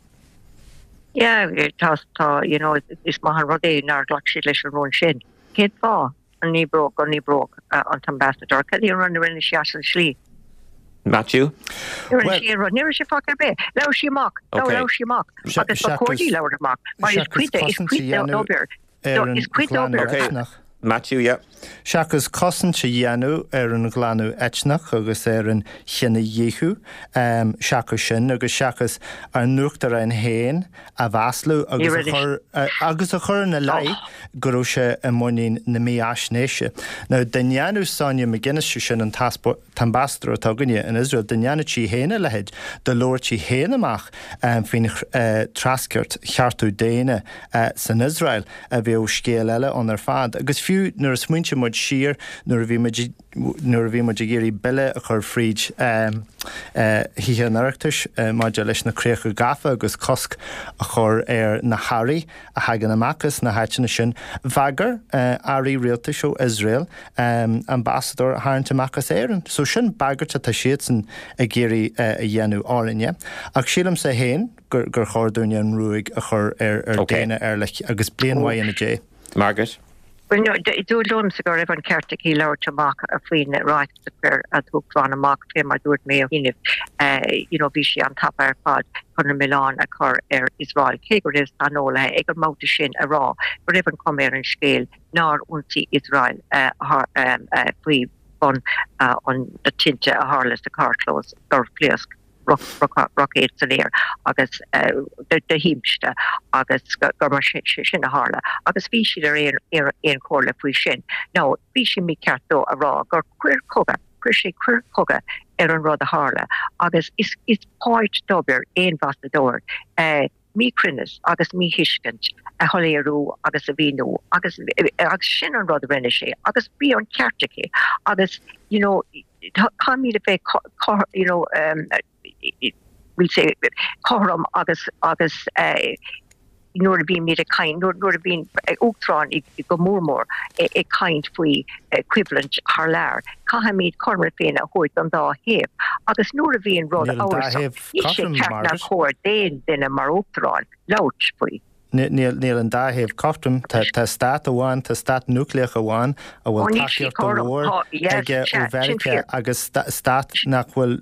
[SPEAKER 5] Yeah, tá, tá, you know, is maith an rud é nár ghlac siad leis an rún sin. Cén fáth an ndíbreodh, go ndíbreodh an t-ambasadóir? Cad é an rud a rinne sí as an slí?
[SPEAKER 1] Matthew?
[SPEAKER 5] Ní rinne sí aon rud, ní rinne sí faic ar bith. Labhair sí amach, labhair sí amach agus ba chóir di labhairt amach mar is cuid de, is cuid d'obair, is cuid d'obair.
[SPEAKER 1] Okay. Matthew, yeah.
[SPEAKER 4] Seachas cosaint a dhéanamh ar an ghlanadh eitneach agus ar an chinedhíothú, seachas sin agus seachas ár n-uachtarán féin a mhaslú agus a chur agus a chur ina leith go raibh sé i muinín na mífhaisnéise. Now, dá ndéanadh Sonia McGuinness, sé sin an t-ambasadóir atá againne in Iosrael, dá ndéanadh sí féin a leithéid, dá labhairt sí féin amach faoin treascairt chearta daonna san Iosrael, bheadh scéal eile ann ar fad. Agus fiú Fiú nuair a smaointíonn muid siar nuair a bhí muid nuair a bhí muid ag iarraidh bille a chur fríd Thithe an Oireachtais maidir leis na críocha gafa agus cosc a chur ar na hearraí a thagann amach as na háiteanna sin, bhagair airí rialtais ó Iosrael ambasadóir a tharraingt amach as Éirinn. So sin bagairt atá siadsan ag iarraidh a dhéanamh orainne. Ach sílimse féin gur gur chóir dúinne an ruaig a chur ar ar Dana Erlich agus bliain mhaith ina diaidh.
[SPEAKER 1] Margaret.
[SPEAKER 5] Bhuel, no, dúirt liomsa go raibh an ceart aici labhairt amach faoin ráiteas a chuir an tUachtarán amach, fé mar dúirt mé ó chianaibh, you know, bhí sé an-tapa ar fad chun an milleán a chur ar Iosrael, cé go raibh saineolaithe ag an mbabhta sin a rá go raibh an chuma ar an scéal nár ionsaigh Iosrael faoi bhun na tinte a tharla sa charrchlós gur phléasc roicéad san aer agus de thimpiste agus gur mar sin a tharla agus bhí siad ar aon chomhairle faoi sin. Now, bhí sé mícheart dó a rá gur coir chogaidh, chuir sé coir chogaidh ar an rud a tharla agus is is páirt d'obair aon ambasadóir míchruinneas agus míthuiscint a shoiléiriú agus a mhíniú agus agus sin an rud a rinne sé agus bhí an ceart aici agus you know caithfimid a bheith you know um, we'll say cothrom agus agus uh, nuair a bhímid ag caint nuair a bhíonn uachtarán go mór mór ag caint faoi choimhlint thar lear. Caithfimid cothrom na Féinne a thabhairt don dá thaobh agus nuair a bhíonn rud amhrasach níl sé ceart ná cóir d'aon duine mar uachtarán labhairt faoi.
[SPEAKER 4] Níl an dá thaobh cothrom tá stát amháin tá stát núicléach amháin a bhfuil tacaíocht mhór aige ó Mheiriceá agus stát nach bhfuil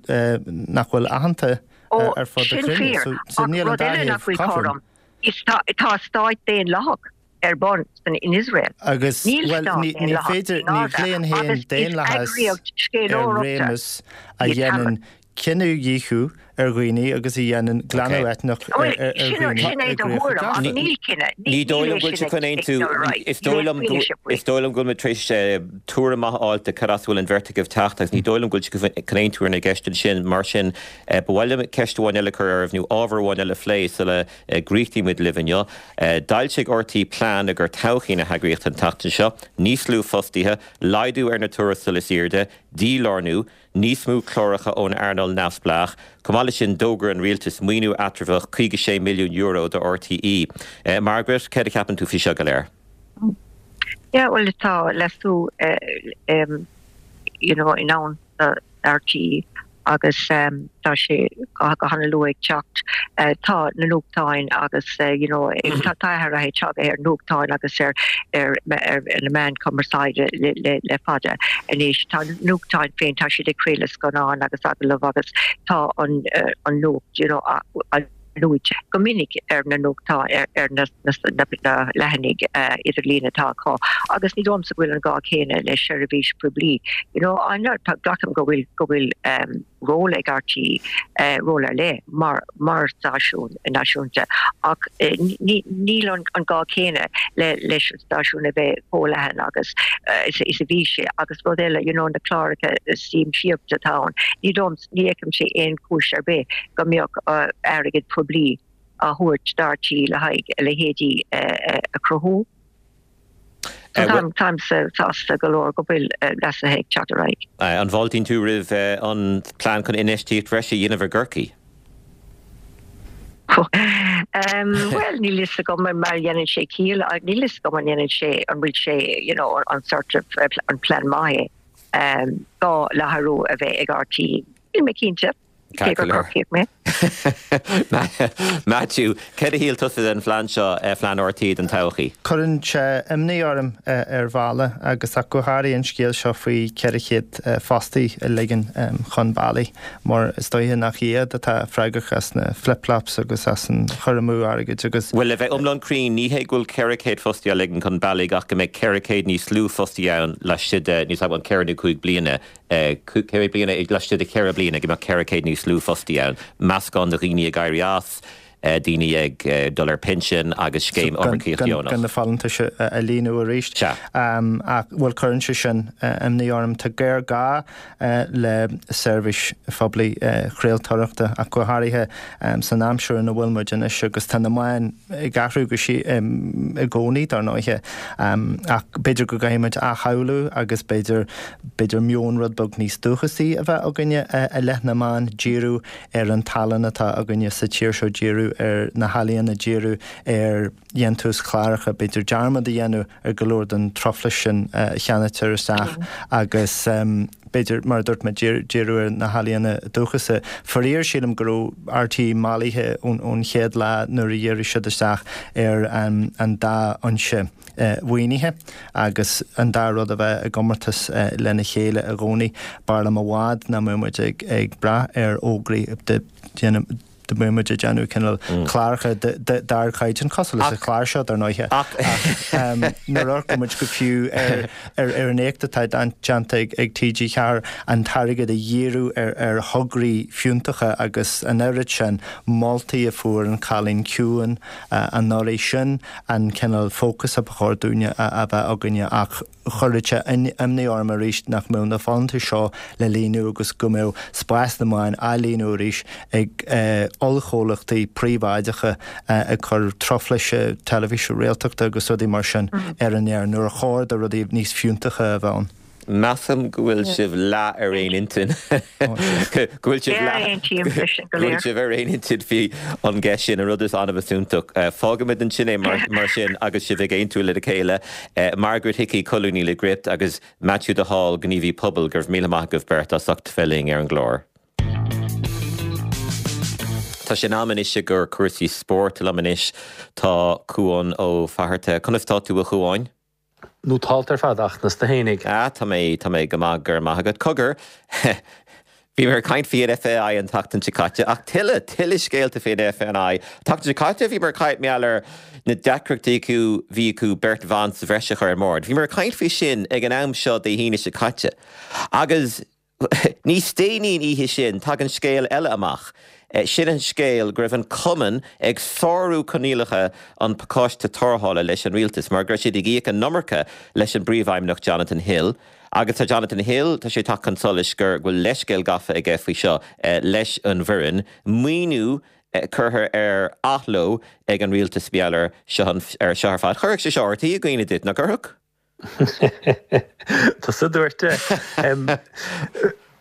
[SPEAKER 4] nach bhfuil aitheanta ar fud na cruinne. So níl an dá thaobh cothrom.
[SPEAKER 5] Tá stát daonlathach ar bun san in Israel.
[SPEAKER 4] Agus well ní ní féidir ní ghlaonn féin daonlathas ar réimeas a dhéanann cinedhíothú ar dhaoine agus a dhéanann glanadh eitneach ar dhaoine.
[SPEAKER 1] Ní dóigh liom go bhfuil sé chun aontú is dóigh liom is dóigh liom go bhfuil mé tar éis tuairim maith a fháil de cad as a bhfuil an bheirt agaibh teacht agus ní dóigh liom go bhfuil sé chun aontú ar na gceisteanna sin mar sin ba mhaith liom ceist amháin eile a chur oraibh nó ábhar amháin eile a phlé sula gcríochnaímid libh inniu. D'fhoilsigh RTÉ plean i gcomhair todhchaí na heagraíochta an tseachtain seo, níos lú fostaithe, laghdú ar na tuarastail is airde, dílárnú, níos mó cláracha ón earnáil neamhspleách. Chomh maith leis sin d'fhógair an rialtas maoiniú eatramhach caoga sé milliún euro do RTÉ. Margaret, céard a cheapann tú faoi seo go léir?
[SPEAKER 5] Yeah, well tá leasú um, you know, in ann do RTÉ agus um, tá sé go han-luath ag teacht uh, tá na nuachtáin agus uh, you know, tá athruithe tagtha ar nuachtáin agus ar ar, ar, ar na meáin cumarsáide le, le, le fada anois tá nuachtáin féin tá siad ag craoladh scannán agus agallamh agus tá an uh, an nuacht you know, a, a, luaite go minic ar na nuachtáin ar, ar na, na, na, na leathanaigh uh, idirlín atá acu agus ní dóigh liomsa go bhfuil an gá céanna le seirbhís poiblí. You know, glacaim go bhfuil go bhfuil um, ról ag RTÉ uh, ról ar leith mar mar stáisiún náisiúnta ach uh, níl an, an gá céanna le leis an stáisiún a bheith chomh leathan agus uh, is, is a bhí sé agus rud eile you know, na cláracha siamsaíochta atá ann. Ní dom ní fheicimse aon chúis ar bith go mbeadh uh, airgead poiblí á thabhairt d'RTÉ le haghaidh leithéidí uh, a chruthú. Táim sásta go leor go bhfuil leasuithe ag teacht ar aghaidh.
[SPEAKER 1] An bhfáiltíonn tú roimh an plean chun infheistíocht bhreise a dhéanamh i gCorcaigh?
[SPEAKER 5] Well níl a fhios agam mar dhéanann sé ciall níl a fhios agam an dhéanann sé an bhfuil sé you know, an sort of an plean maith dhá láithriú a bheith ag RTÉ. Níl mé cinnte. Cé gur Corcaíoch mé.
[SPEAKER 1] Matthew, céard a shíl tusa den phlean seo, plean RTÉ don todhchaí?
[SPEAKER 4] Cuireann sé imní orm ar bhealach agus ach go háirithe an scéal seo faoi ceithre chéad fostaí a ligean chun bealaigh mar is dóiche nach iad atá freagrach as na flip-flops agus as an chur amú airgid agus.
[SPEAKER 1] Bhuel, le bheith iomlán cruinn, ní hé go bhfuil ceithre chéad fostaí á ligean chun bealaigh ach go mbeidh ceithre chéad níos lú fostaí ann laistigh de, níl a fhios agam, ceithre nó cúig bliana. Ceithre bliana, laistigh de cheithre bliana go mbeadh ceithre chéad níos lú fostaí ann. Meascán de dhaoine ag éirí as, daoine ag dul ar pinsean agus scéim iomarcaíocht dheonach.
[SPEAKER 4] Gan na folúntais a líonadh arís. Ach bhuel cuireann sé sin imní orm. Tá géarghá le seirbhís phoiblí chraoltóireachta ach go háirithe san aimsir ina bhfuil muid anois agus tá na meáin ag athrú go i gcónaí dar ndóighe. Ach b'fhéidir go gcaithfidh muid athshamhlú agus b'fhéidir b'fhéidir meon rud beag níos dúchasaí a bheith againne i leith na meán, díriú ar an tallann atá againne sa tír seo, díriú ar na healaíona, díriú ar dhéantús cláracha, b'fhéidir dearmad a dhéanamh ar go leor den truflais sin a cheannaítear isteach agus b'fhéidir, mar a dúirt mé, díriú ar na healaíona dúchasacha. Faraor, sílim go raibh RTÉ mallaithe ón chéad lá nuair a dhírigh siad isteach ar an dá fhoinse mhaoinithe agus an dá rud a bheith i gcomórtas lena chéile i gcónaí. B'fhearr liom i bhfad nach mbeadh muid ag brath ar fhógraí dá mbeadh muid ag déanamh cineál cláracha d'ardchaighdeán, cosúil leis an chlár seo, dar ndóighe. Ach nuair a amharcann muid go fiú ar an éacht atá déanta ag TG Ceathair, an t-airgead a dhíriú ar thograí fiúntacha agus an oiread sin moltaí a fuair An Cailín Ciúin anuraidh, sin an cineál fócas a ba chóir dúinne a bheith againne ach chuirfeadh sé imní orm arís nach mbeadh na folúntais seo le líonadh agus go mbeadh spás na meán á líonadh arís ag ollchomhlachtaí príobháideacha ag cur truflaise teilifíse réaltachta agus rudaí mar sin ar an aer nuair a chóir do rudaí níos fiúntacha a bheith ann.
[SPEAKER 1] Measaim go bhfuil sibh leath ar aon intinn. Go bhfuil sibh leath go bhfuil sibh ar aon intinn faoi an gceist sin, an rud is annamh is iontach. Fágfaimid ansin é mar sin agus sibh ag aontú lena chéile. Margaret Hickey, colúnaí le Gript, agus Maitiú de Hál, gníomhaí pobail, go raibh míle maith agaibh beirt as ucht bheith linn ar an gclár. Tá sé in am anois i gcomhair cúrsaí spóirt. Liom anois tá Cuán Ó Fatharta. Conas tá tú a Chuáin?
[SPEAKER 6] Nótálta ar fad ach conas tá tú fhéinig.
[SPEAKER 1] Ah, tá mé, tá mé go maith, go raibh maith agat. Cogar, bhíomar ag caint faoi an FAI an tseachtain seo caite, ach tuilleadh, tuilleadh scéalta faoin FAI. An tseachtain seo caite bhíomar ag caint mar gheall ar na deacrachtaí acu, bhí acu beirt bhan sa bhreis a chur ar an mbord. Bhíomar ag caint faoi sin ag an am seo Dé hAoine seo caite. Agus Níos déanaí an oíche sin, tagann scéal eile amach. Sin an scéal go raibh an cumann ag sárú coinníollacha an phacáiste tarrthála leis an rialtas mar go raibh siad ag íoc an iomarca leis an bpríomhfheidhmeannach Jonathan Hill. Agus tá Jonathan Hill, tá sé ag teacht chun solais gur bhfuil leithscéal gafa aige faoi seo leis an bhfoireann. Maoiniú curtha ar athló ag an rialtas mar gheall air seo ar fad. Chuirfeadh sé seo RTÉ i gcuimhne duit, nach gcuirfeadh?
[SPEAKER 6] Tusa a dúirt é.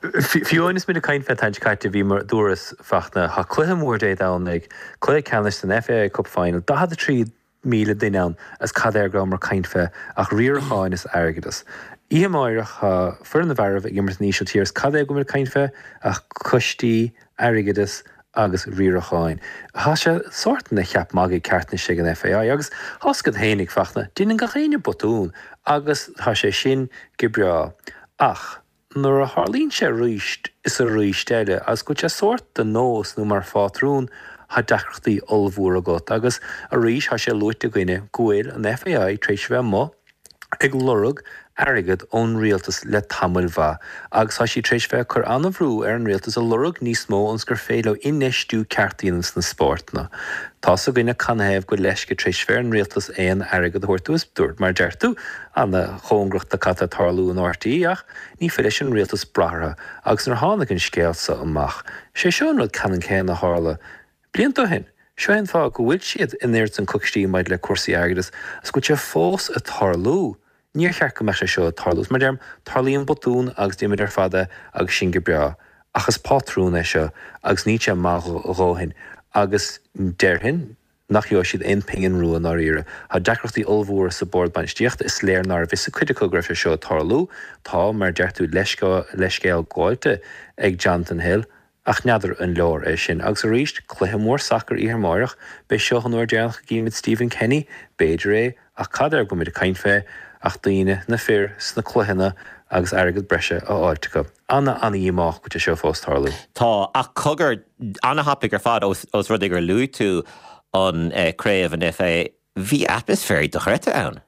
[SPEAKER 6] Fiú amháin is muid ag caint fé an tseachtain seo caite bhí mar dúras Fachtna, tá cluiche mór Dé Domhnaigh, cluiche ceannais den FAI Cup Final, daichead a trí míle duine ann is cad air go rabhamar ag caint fé ach riaracháin is airgeadas. Oíche amáireach tá foireann na bhfearaibh ag imirt san Ísiltír is cad é go bhfuil muid ag caint fé ach coistí, airgeadas agus riaracháin. Tá sé sórt ina cheap magaidh ceart anois ag an FAI agus tá 's agat fhéinig, Fachtna, déanann gach éinne botún agus tá sé sin go breá. Ach nuair a tharlaíonn sé arís is arís eile agus go bhfuil sé sórt de nós nó mar phátrún, tá deacrachtaí ollmhóra agat agus arís tá sé luaite againne go bhfuil an FAI tar éis a bheith amuigh ag lorg airgead ón rialtas le tamaill mhaith agus tá siad tar éis bheith ag cur an-bhrú ar an rialtas ag lorg níos mó ionas gur féidir leo infheistiú ceart a dhéanamh sna spórtanna. Tá's againne canathaobh go bhfuil leisce tar éis bheith ar an rialtas aon airgead a thabhairt dóibh is dúirt, mar a deir tú, ana-chóngarach do cad tá ag tarlú in RTÉ ach ní féidir leis an rialtas brath orthu agus nuair a tháinig an scéal seo amach, sé seo an rud ceannann céanna a tharla blianta ó shin. Seo é an fáth go bhfuil siad in airde sna coistí maidir le cúrsaí airgeadais agus go bhfuil sé fós ag tarlú. Níor cheart go mbeadh sé seo ag tarlú. Is mar a deirim, tarlaíonn botún agus déanaimid ar fad é agus sin go breá. Ach is pátrún é seo agus níl sé maith a dhóthain agus déarfainn nach gheobhaidh siad aon phingin rua i ndáiríre. Tá deacrachtaí ollmhóra sa bord bainistíochta, is léir nárbh fhios ag cuid acu go raibh sé seo ag tarlú. Tá, mar a deir tú, leithscéal gabháilte ag Jonathan Hill. Ach n'fheadar an leor é sin. Agus arís, cluiche mór sacair oíche amárach, b'é seo an uair deireanach a gcífimid Stephen Kenny, b'fhéidir é, ach cad air go bhfuilimid ag caint fé ach daoine, na fir, sna cluicheanna agus airgead breise á fháilt acu. Ana, ana-dhíomách go bhfuil sé seo fós tarlú.
[SPEAKER 1] Tá, ach cogar, ana-thapaidh ar fad, ós rud é gur luaigh tú an craobh an FAI, bhí atmaisféar dochreidte ann.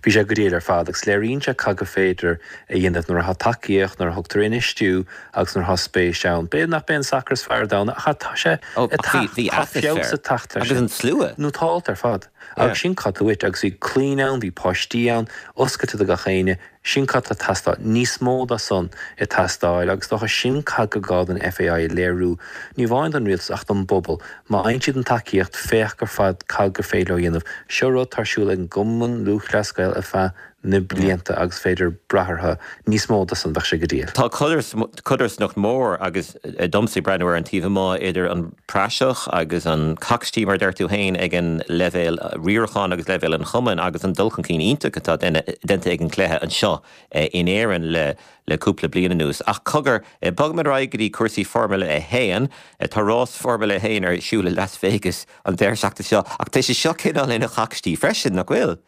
[SPEAKER 6] Bhí sé go diail ar fad agus léiríonn sé cad gur féidir a dhéanamh nuair atá tacaíocht, nuair a thugtar infheistiú agus nuair atá spéis ann. B'fhéidir nach b'é an sacar is fearr ar domhan ach tá sé
[SPEAKER 1] ag teacht, tá
[SPEAKER 6] feabhas ag teacht
[SPEAKER 1] air sin. Agus an slua.
[SPEAKER 6] Nó tá alt ar fad. Agus sin cad tá uait agus bhí clainn ann, bhí páistí ann, oscailte do gach éinne. Sin cad tá ag teastáil. Níos mó de san ag teastáil agus dócha sin cad gur gá don FAI a léiriú, ní amháin don rialtas ach don bpobal. Má fhaigheann siad an tacaíocht, féach ar fad cad gur féidir leo a dhéanamh. Seo rud atá ar siúl ag an gCumann Lúthchleas Gael ar feadh na blianta agus féidir brath orthu. Níos mó de san, bheadh sé go diail.
[SPEAKER 1] Tá codarsnacht mór agus domsa ag breathnú ar an taobh amuigh idir an praiseach agus an coicstí mar a deir tú féin ag an leibhéal riaracháin agus leibhéal an chumainn agus an dul chun cinn iontach atá déanta ag an gcluiche anseo in Éirinn le le cúpla bliain anuas. Ach cogar, bogfaimid ar aghaidh go dtí cúrsaí Formula a haon. Tá rás Formula a haon ar siúl i Las Vegas an deireadh seachtaine seo ach tá sé seo cineál ina choicstí freisin, nach bhfuil?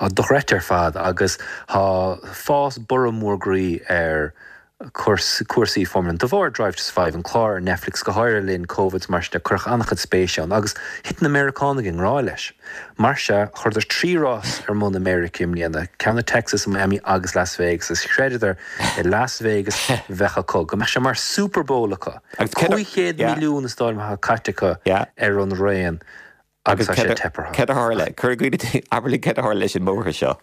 [SPEAKER 6] Tá dochreidte ar fad agus tá fás borradh mór groí ar cúrsaí Formula de bharr Drive to Survive, an clár ar Netflix, go háirithe le linn Covid mar sin de, cuireadh an-chuid spéise ann agus thit na Meiriceánaigh i ngrá leis. Mar sea, chuireadar trí rás ar bun i Meiriceá i mbliana, ceann i Texas, i Miami agus Las Vegas agus chreideadar i Las Vegas bheadh acu, go mbeadh sé mar Super Bowl acu. Cúig chéad milliún is dóigh liom atá caite acu ar an raon.
[SPEAKER 1] Agus tá sé teip orthu. Céard a tharla? Cuir i gcuimhne, abair linn céard a tharla leis an mbóthar seo.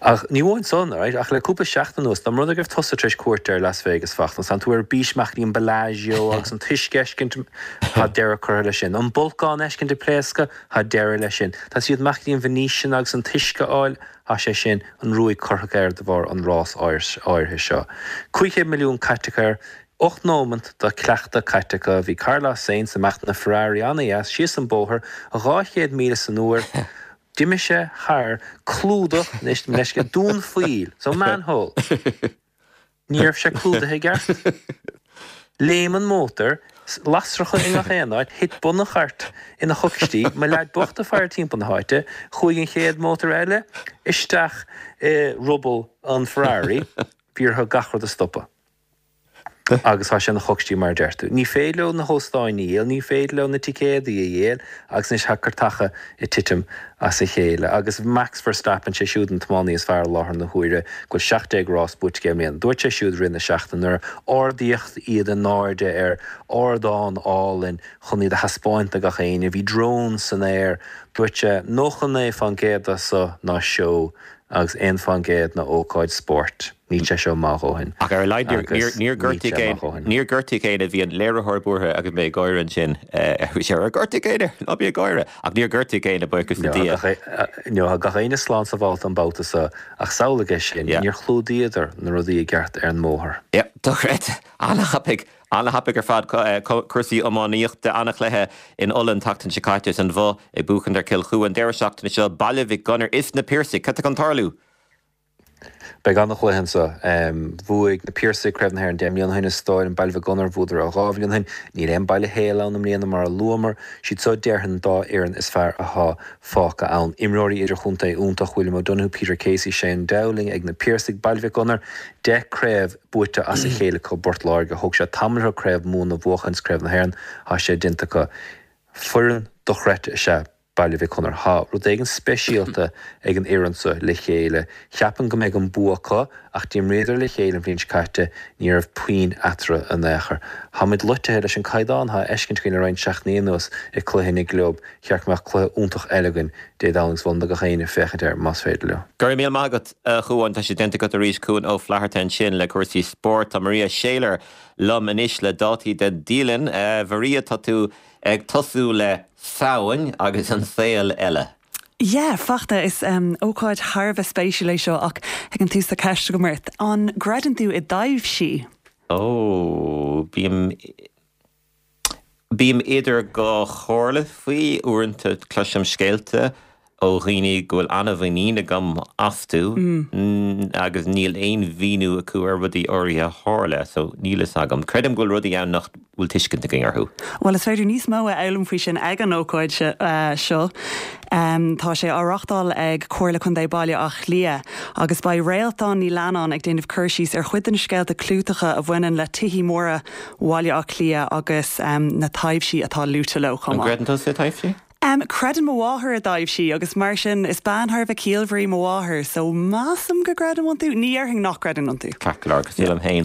[SPEAKER 6] Ach ní amháin san, right, ach le cúpla seachtain anuas, dá mba rud é go raibh tusa tar éis cuairt ar Las Vegas Fachtna, tánn tú ar bís amach go dtí an Bellagio agus an t-uisce a fheiscint, tá deireadh curtha leis sin. An bolcán a fheiscint ag pléascadh, tá deireadh leis sin. Tá siad amach go dtí an Venetian agus an t-uisce a fháil, tá sé sin, an ruaig curtha air de bharr an rás áirithe seo. Cúig chéad milliún caite acu air, Ocht nóimeant de chleachtadh caite acu, bhí Carlos Sainz amach ina Ferrari an-dheas síos an bóthar, dhá chéad míle san uair. D'imigh sé thar clúdach, anois mo leithscéal, dún poill, so manhole. Ní raibh sé clúdaithe i gceart. Léim an mótar, lasracha i ngach aon áit, thit bun an chairt ina choicstí, mo leaid bocht ag faire timpeall na háite, chuaigh an chéad mótar eile isteach i ruball an Ferrari, bhí orthu gach rud a stopadh. Agus tá sé ina choicstí mar a deir tú. Ní féidir leo na hóstáin a dhíol, ní féidir leo na ticéadaí a dhíol agus anois tá cairteacha ag titim as a chéile. Agus Max Verstappen, sé siúd an tiománaí is fearr i láthair na huaire, go bhfuil seacht déag rás buaite aige i mbliana. Dúirt sé siúd i rith na seachtaine nuair a ardaíodh iad in airde ar ardán álainn chun iad a thaispeáint do gach éinne, bhí drón san aer, dúirt sé, nócha naoi fán gcéad de seo ná seó agus aon fán gcéad ná ócáid spóirt. Níl sé seo maith a dhóthain.
[SPEAKER 1] Ach ar a laghad níor gortaíodh éinne, níor gortaíodh éinne, bhí an léiritheoir buartha agus mé ag gáire ansin, bhí sé ar gortaíodh éinne, ná bí ag gáire, ach níor gortaíodh éinne, buíochas le Dia.
[SPEAKER 6] No, tá gach éinne slán sábhálta an babhta seo, ach samhlaigh é sin, níor chlúdaíodar na rudaí i gceart ar an mbóthar.
[SPEAKER 1] Yeah, dochreidte, an-thapaidh, an-thapaidh ar fad, cúrsaí iománaíochta, an-chluiche in Ulaidh an tseachtain seo caite is an Bhoth ag buachaint ar Chill Chua an deireadh seachtaine seo, Baile Mhic Gonair is na Piarsaigh, cad tá chun tarlú?
[SPEAKER 6] Beidh an-chluiche anseo. Bhuaigh na Piarsaigh Craobh na hÉireann deich mbliana ó shin is dóigh liom Baile Mhic Gonair, bhuadar dhá bhliain ó shin. Níl aon Baile Héil ann i mbliana mar a luamar. Siad seo déarfainn an dá fhoireann is fearr athá fágtha ann. Imreoirí idirchontae iontach, William O'Donoghue, Peter Casey, Shane Dowling ag na Piarsaigh. Baile Mhic Gonair, deich craobh buaite as a chéile acu i bPort Láirge. Thóg sé tamall orthu Craobh Mumhan a bhuachan is Craobh na hÉireann, thá sé déanta acu. Foireann dochreidte is ea Baile Mhic Gonair. Thá rud éigin speisialta ag an fhoireann so le chéile. Cheapfainn go mbeidh an bua acu ach d'imríodar le chéile an bhliain seo caite, ní raibh puinn eatarthu in aon chor. Thá muid loitithe leis an caighdeán athá á fheiscint againn le roinnt seachtainí anuas i cluiche na gclub. Cheart go mbeadh cluiche iontach eile againn Dé Domhnaigh agus mholfainn do gach éinne féachaint air más féidir leo.
[SPEAKER 1] Go raibh míle maith agat a Chuáin, tá sé déanta agat arís, Cuan Ó Flatharta ansin le cúrsaí spóirt. Tá Maria Shayler liom anois le dátaí den dialann. Maria, tá tú Ag tosú le Samhain agus an saol eile.
[SPEAKER 7] Yeah, Fachtna, is ócáid thar a bheith spéisiúil é seo ach ag an tús tá ceist agam ort. An gcreideann tú i dtaibhsí?
[SPEAKER 1] Ó, bím, bím idir dhá chomhairle faoi. Uaireanta cloisim scéalta ó dhaoine go bhfuil an-mhuinín agam astu agus níl aon mhíniú acu ar rudaí áirithe a tharla, so níl fhios agam. Creidim go bhfuil rudaí ann nach bhfuil tuiscint againn orthu.
[SPEAKER 7] Bhuel, is féidir níos mó a fhoghlaim faoi sin ag an ócáid seo. Tá sé á reáchtáil ag Comhairle Contae Bhaile Átha Cliath agus beidh Réaltán Ní Leannáin ag déanamh cur síos ar chuid de na scéalta clúiteacha a bhaineann le tithí móra Bhaile Átha Cliath agus na taibhsí atá luaite leo chomh
[SPEAKER 1] maith. An gcreideann tusa i dtaibhsí?
[SPEAKER 7] Um, creideann mo mháthair a dtaibhsí agus mar sin is bean thar a bheith ciallmhar í mo mháthair, so measaim go gcreidim iontu, ní déarfainn nach gcreidim iontu.
[SPEAKER 1] Ceart go leor, cosúil liom féin.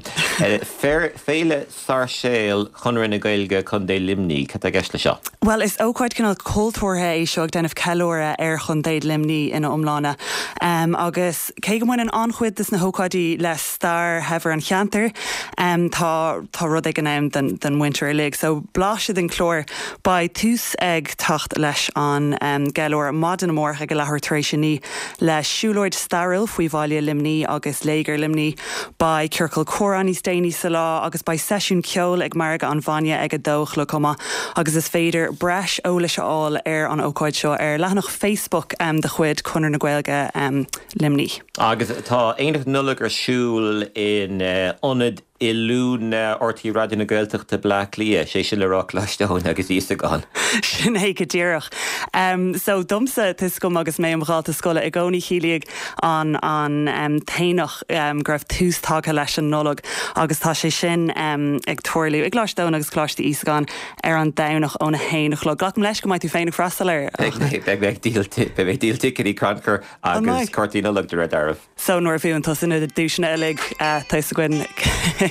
[SPEAKER 1] Féile Sáirséal Chonradh na Gaeilge Contae Luimnigh, cad tá i gceist le seo?
[SPEAKER 7] Bhuel, is ócáid cineál cultúrtha é seo ag déanamh ceiliúradh ar Chontae Luimnigh ina iomláine. Um, agus cé go mbaineann an-chuid de na hócáidí le stair shaibhir an cheantair, um, tá tá rud éigin ann den, den mhuintir uilig. So blaiseadh den chlár beidh tús ag teacht leis an um, gceiliúradh maidin amárach ag a leathuair tar éis a naoi le siúlóid stairiúil faoi bhaile Luimnigh agus Léigear Luimnigh. Beidh ciorcal comhrá níos déanaí sa lá agus beidh seisiún ceoil ag Margadh an Bhainne ag a dó a chlog chomh maith agus is féidir breis eolais a fháil ar an ócáid seo ar leathanach Facebook um, de chuid Conradh na Gaeilge um, Luimnigh.
[SPEAKER 1] Agus tá Aonach Nollag ar siúl in uh, ionad oiliúna R T É Raidió na Gaeltachta Bleá Cliath, sé sin le rá Coláiste Eoin agus Íosagáin.
[SPEAKER 7] Sin é go díreach. Um, so domsa tuigim agus mé im dhalta scoile i gcónaí chiallaigh an an um, t-aonach um, go raibh tús tagtha leis an Nollaig agus tá sé sin um, ag tarlú i gColáiste Eoin agus Coláiste Íosagáin ar an Domhnach óna haon a chlog. Glacaim leis go mbeidh tú féin ag freastal air.
[SPEAKER 1] Beidh díol ticéidí crannchur agus cártaí Nollag de réir dealraimh.
[SPEAKER 7] So nuair a bhuann tusa na duaiseanna uilig tá a fhios againn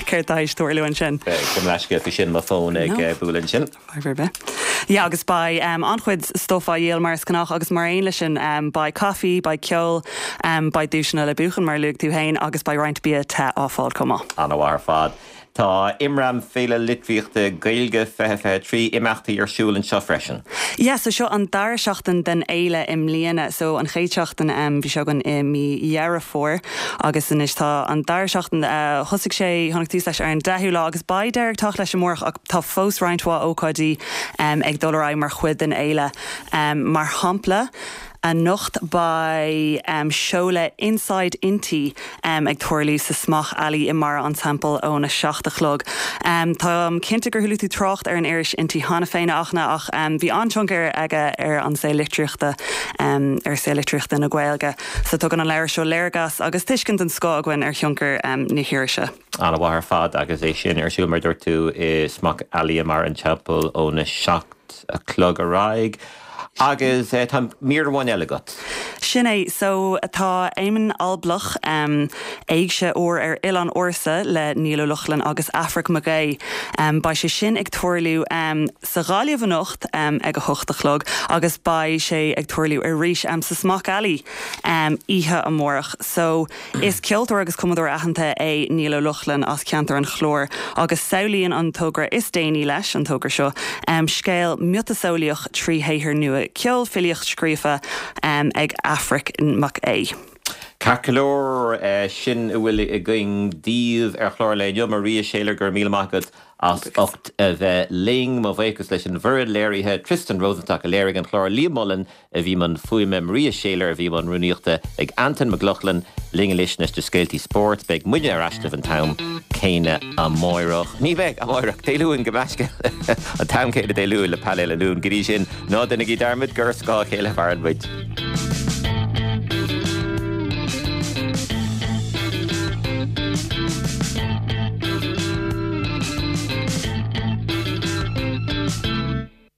[SPEAKER 7] céard tá ag tarlú ansin.
[SPEAKER 1] Go leisce fi sin mo fón ag bualadh ansin.
[SPEAKER 7] Ja agus beidh um, an-chuid stuif á dhíol mar is gnách agus mar aon leis sin um, beidh caife, beidh ceol, um, beidh duaiseanna le buachan mar luaigh tú féin agus beidh roinnt bia te á fáil chomh maith.
[SPEAKER 1] An-mhaith ar fad. Tá Imram Féile Litríochta Gaeilge fiche fiche trí imeachtaí ar siúl anseo freisin.
[SPEAKER 7] Ja, so seo an dara seachtain den fhéile i mbliana, so an chéad seachtain um, bhí seo againn i mí Dheireadh Fómhair agus anois tá an dara seachtain uh, thosaigh sé tháinig tús leis ar an deichiú lá agus beidh deireadh ag teacht leis amárach ach tá fós roinnt mhaith ócáidí um, ag dul ar aghaidh mar chuid den fhéile. Um, mar shampla, anocht beidh um, seoladh Inside Innti um, ag tarlú sa Smock Alley i mBarra an Teampaill óna seacht a chlog. Um, tá cinnte gur chuala tú trácht ar an iris Innti cheana féin ach ach um, bhí an-tionchar aige ar an saol litríochta um, ar saol litríochta na Gaeilge. So tugann an leabhar seo léargas agus tuiscint den scoth againn ar thionchar um, na hirise.
[SPEAKER 1] An-mhaith ar fad agus é sin ar siúl mar dúirt tú i Smock Alley i mBarra an Teampaill óna seacht a chlog ar aghaidh. Agus eh, tá mír amháin eile agat.
[SPEAKER 7] Sin é so tá Éamonn Alblach um, éigse úr ar Oileán Ársa le Niall Ó Lochlainn agus Aifric Mac Aodha. Um, beidh sé sin ag tarlú um, sa Ghaillimh anocht um, ag a hocht a chlog agus beidh sé ag tarlú arís um, sa Smock Alley um, oíche amárach. So is ceoltóir agus cumadóir aitheanta é Niall Ó Lochlainn as ceantar an Chláir agus samhlaíonn an togra is déanaí leis an togra seo um, scéal miotaseolaíoch trí shaothar nua ceol filíocht scríofa um, ag Aifric Mac Aodha.
[SPEAKER 1] Ceart go leor eh, sin a bhfuil againn daoibh ar chlár le inniu Maria Shailer gur míle maith agat as ucht a bheith linn mo bhuíochas leis an bhfoireann léirithe Tristan Rosenstock a léirigh an chlár Liam Mullen a bhí i mbun fuaime Maria Shailer a bhí i mbun rúnaíochta ag Anton McLaughlin linn leis na scéaltaí spóirt beidh muidne ar ais an t-am céanna amárach. Ní bheidh amárach Dé Luain go meisce an t-am céanna Dé Luain le painéal Luain go dtí sin ná déanaigí dearmad gur scáth a chéile a mhaireann muid.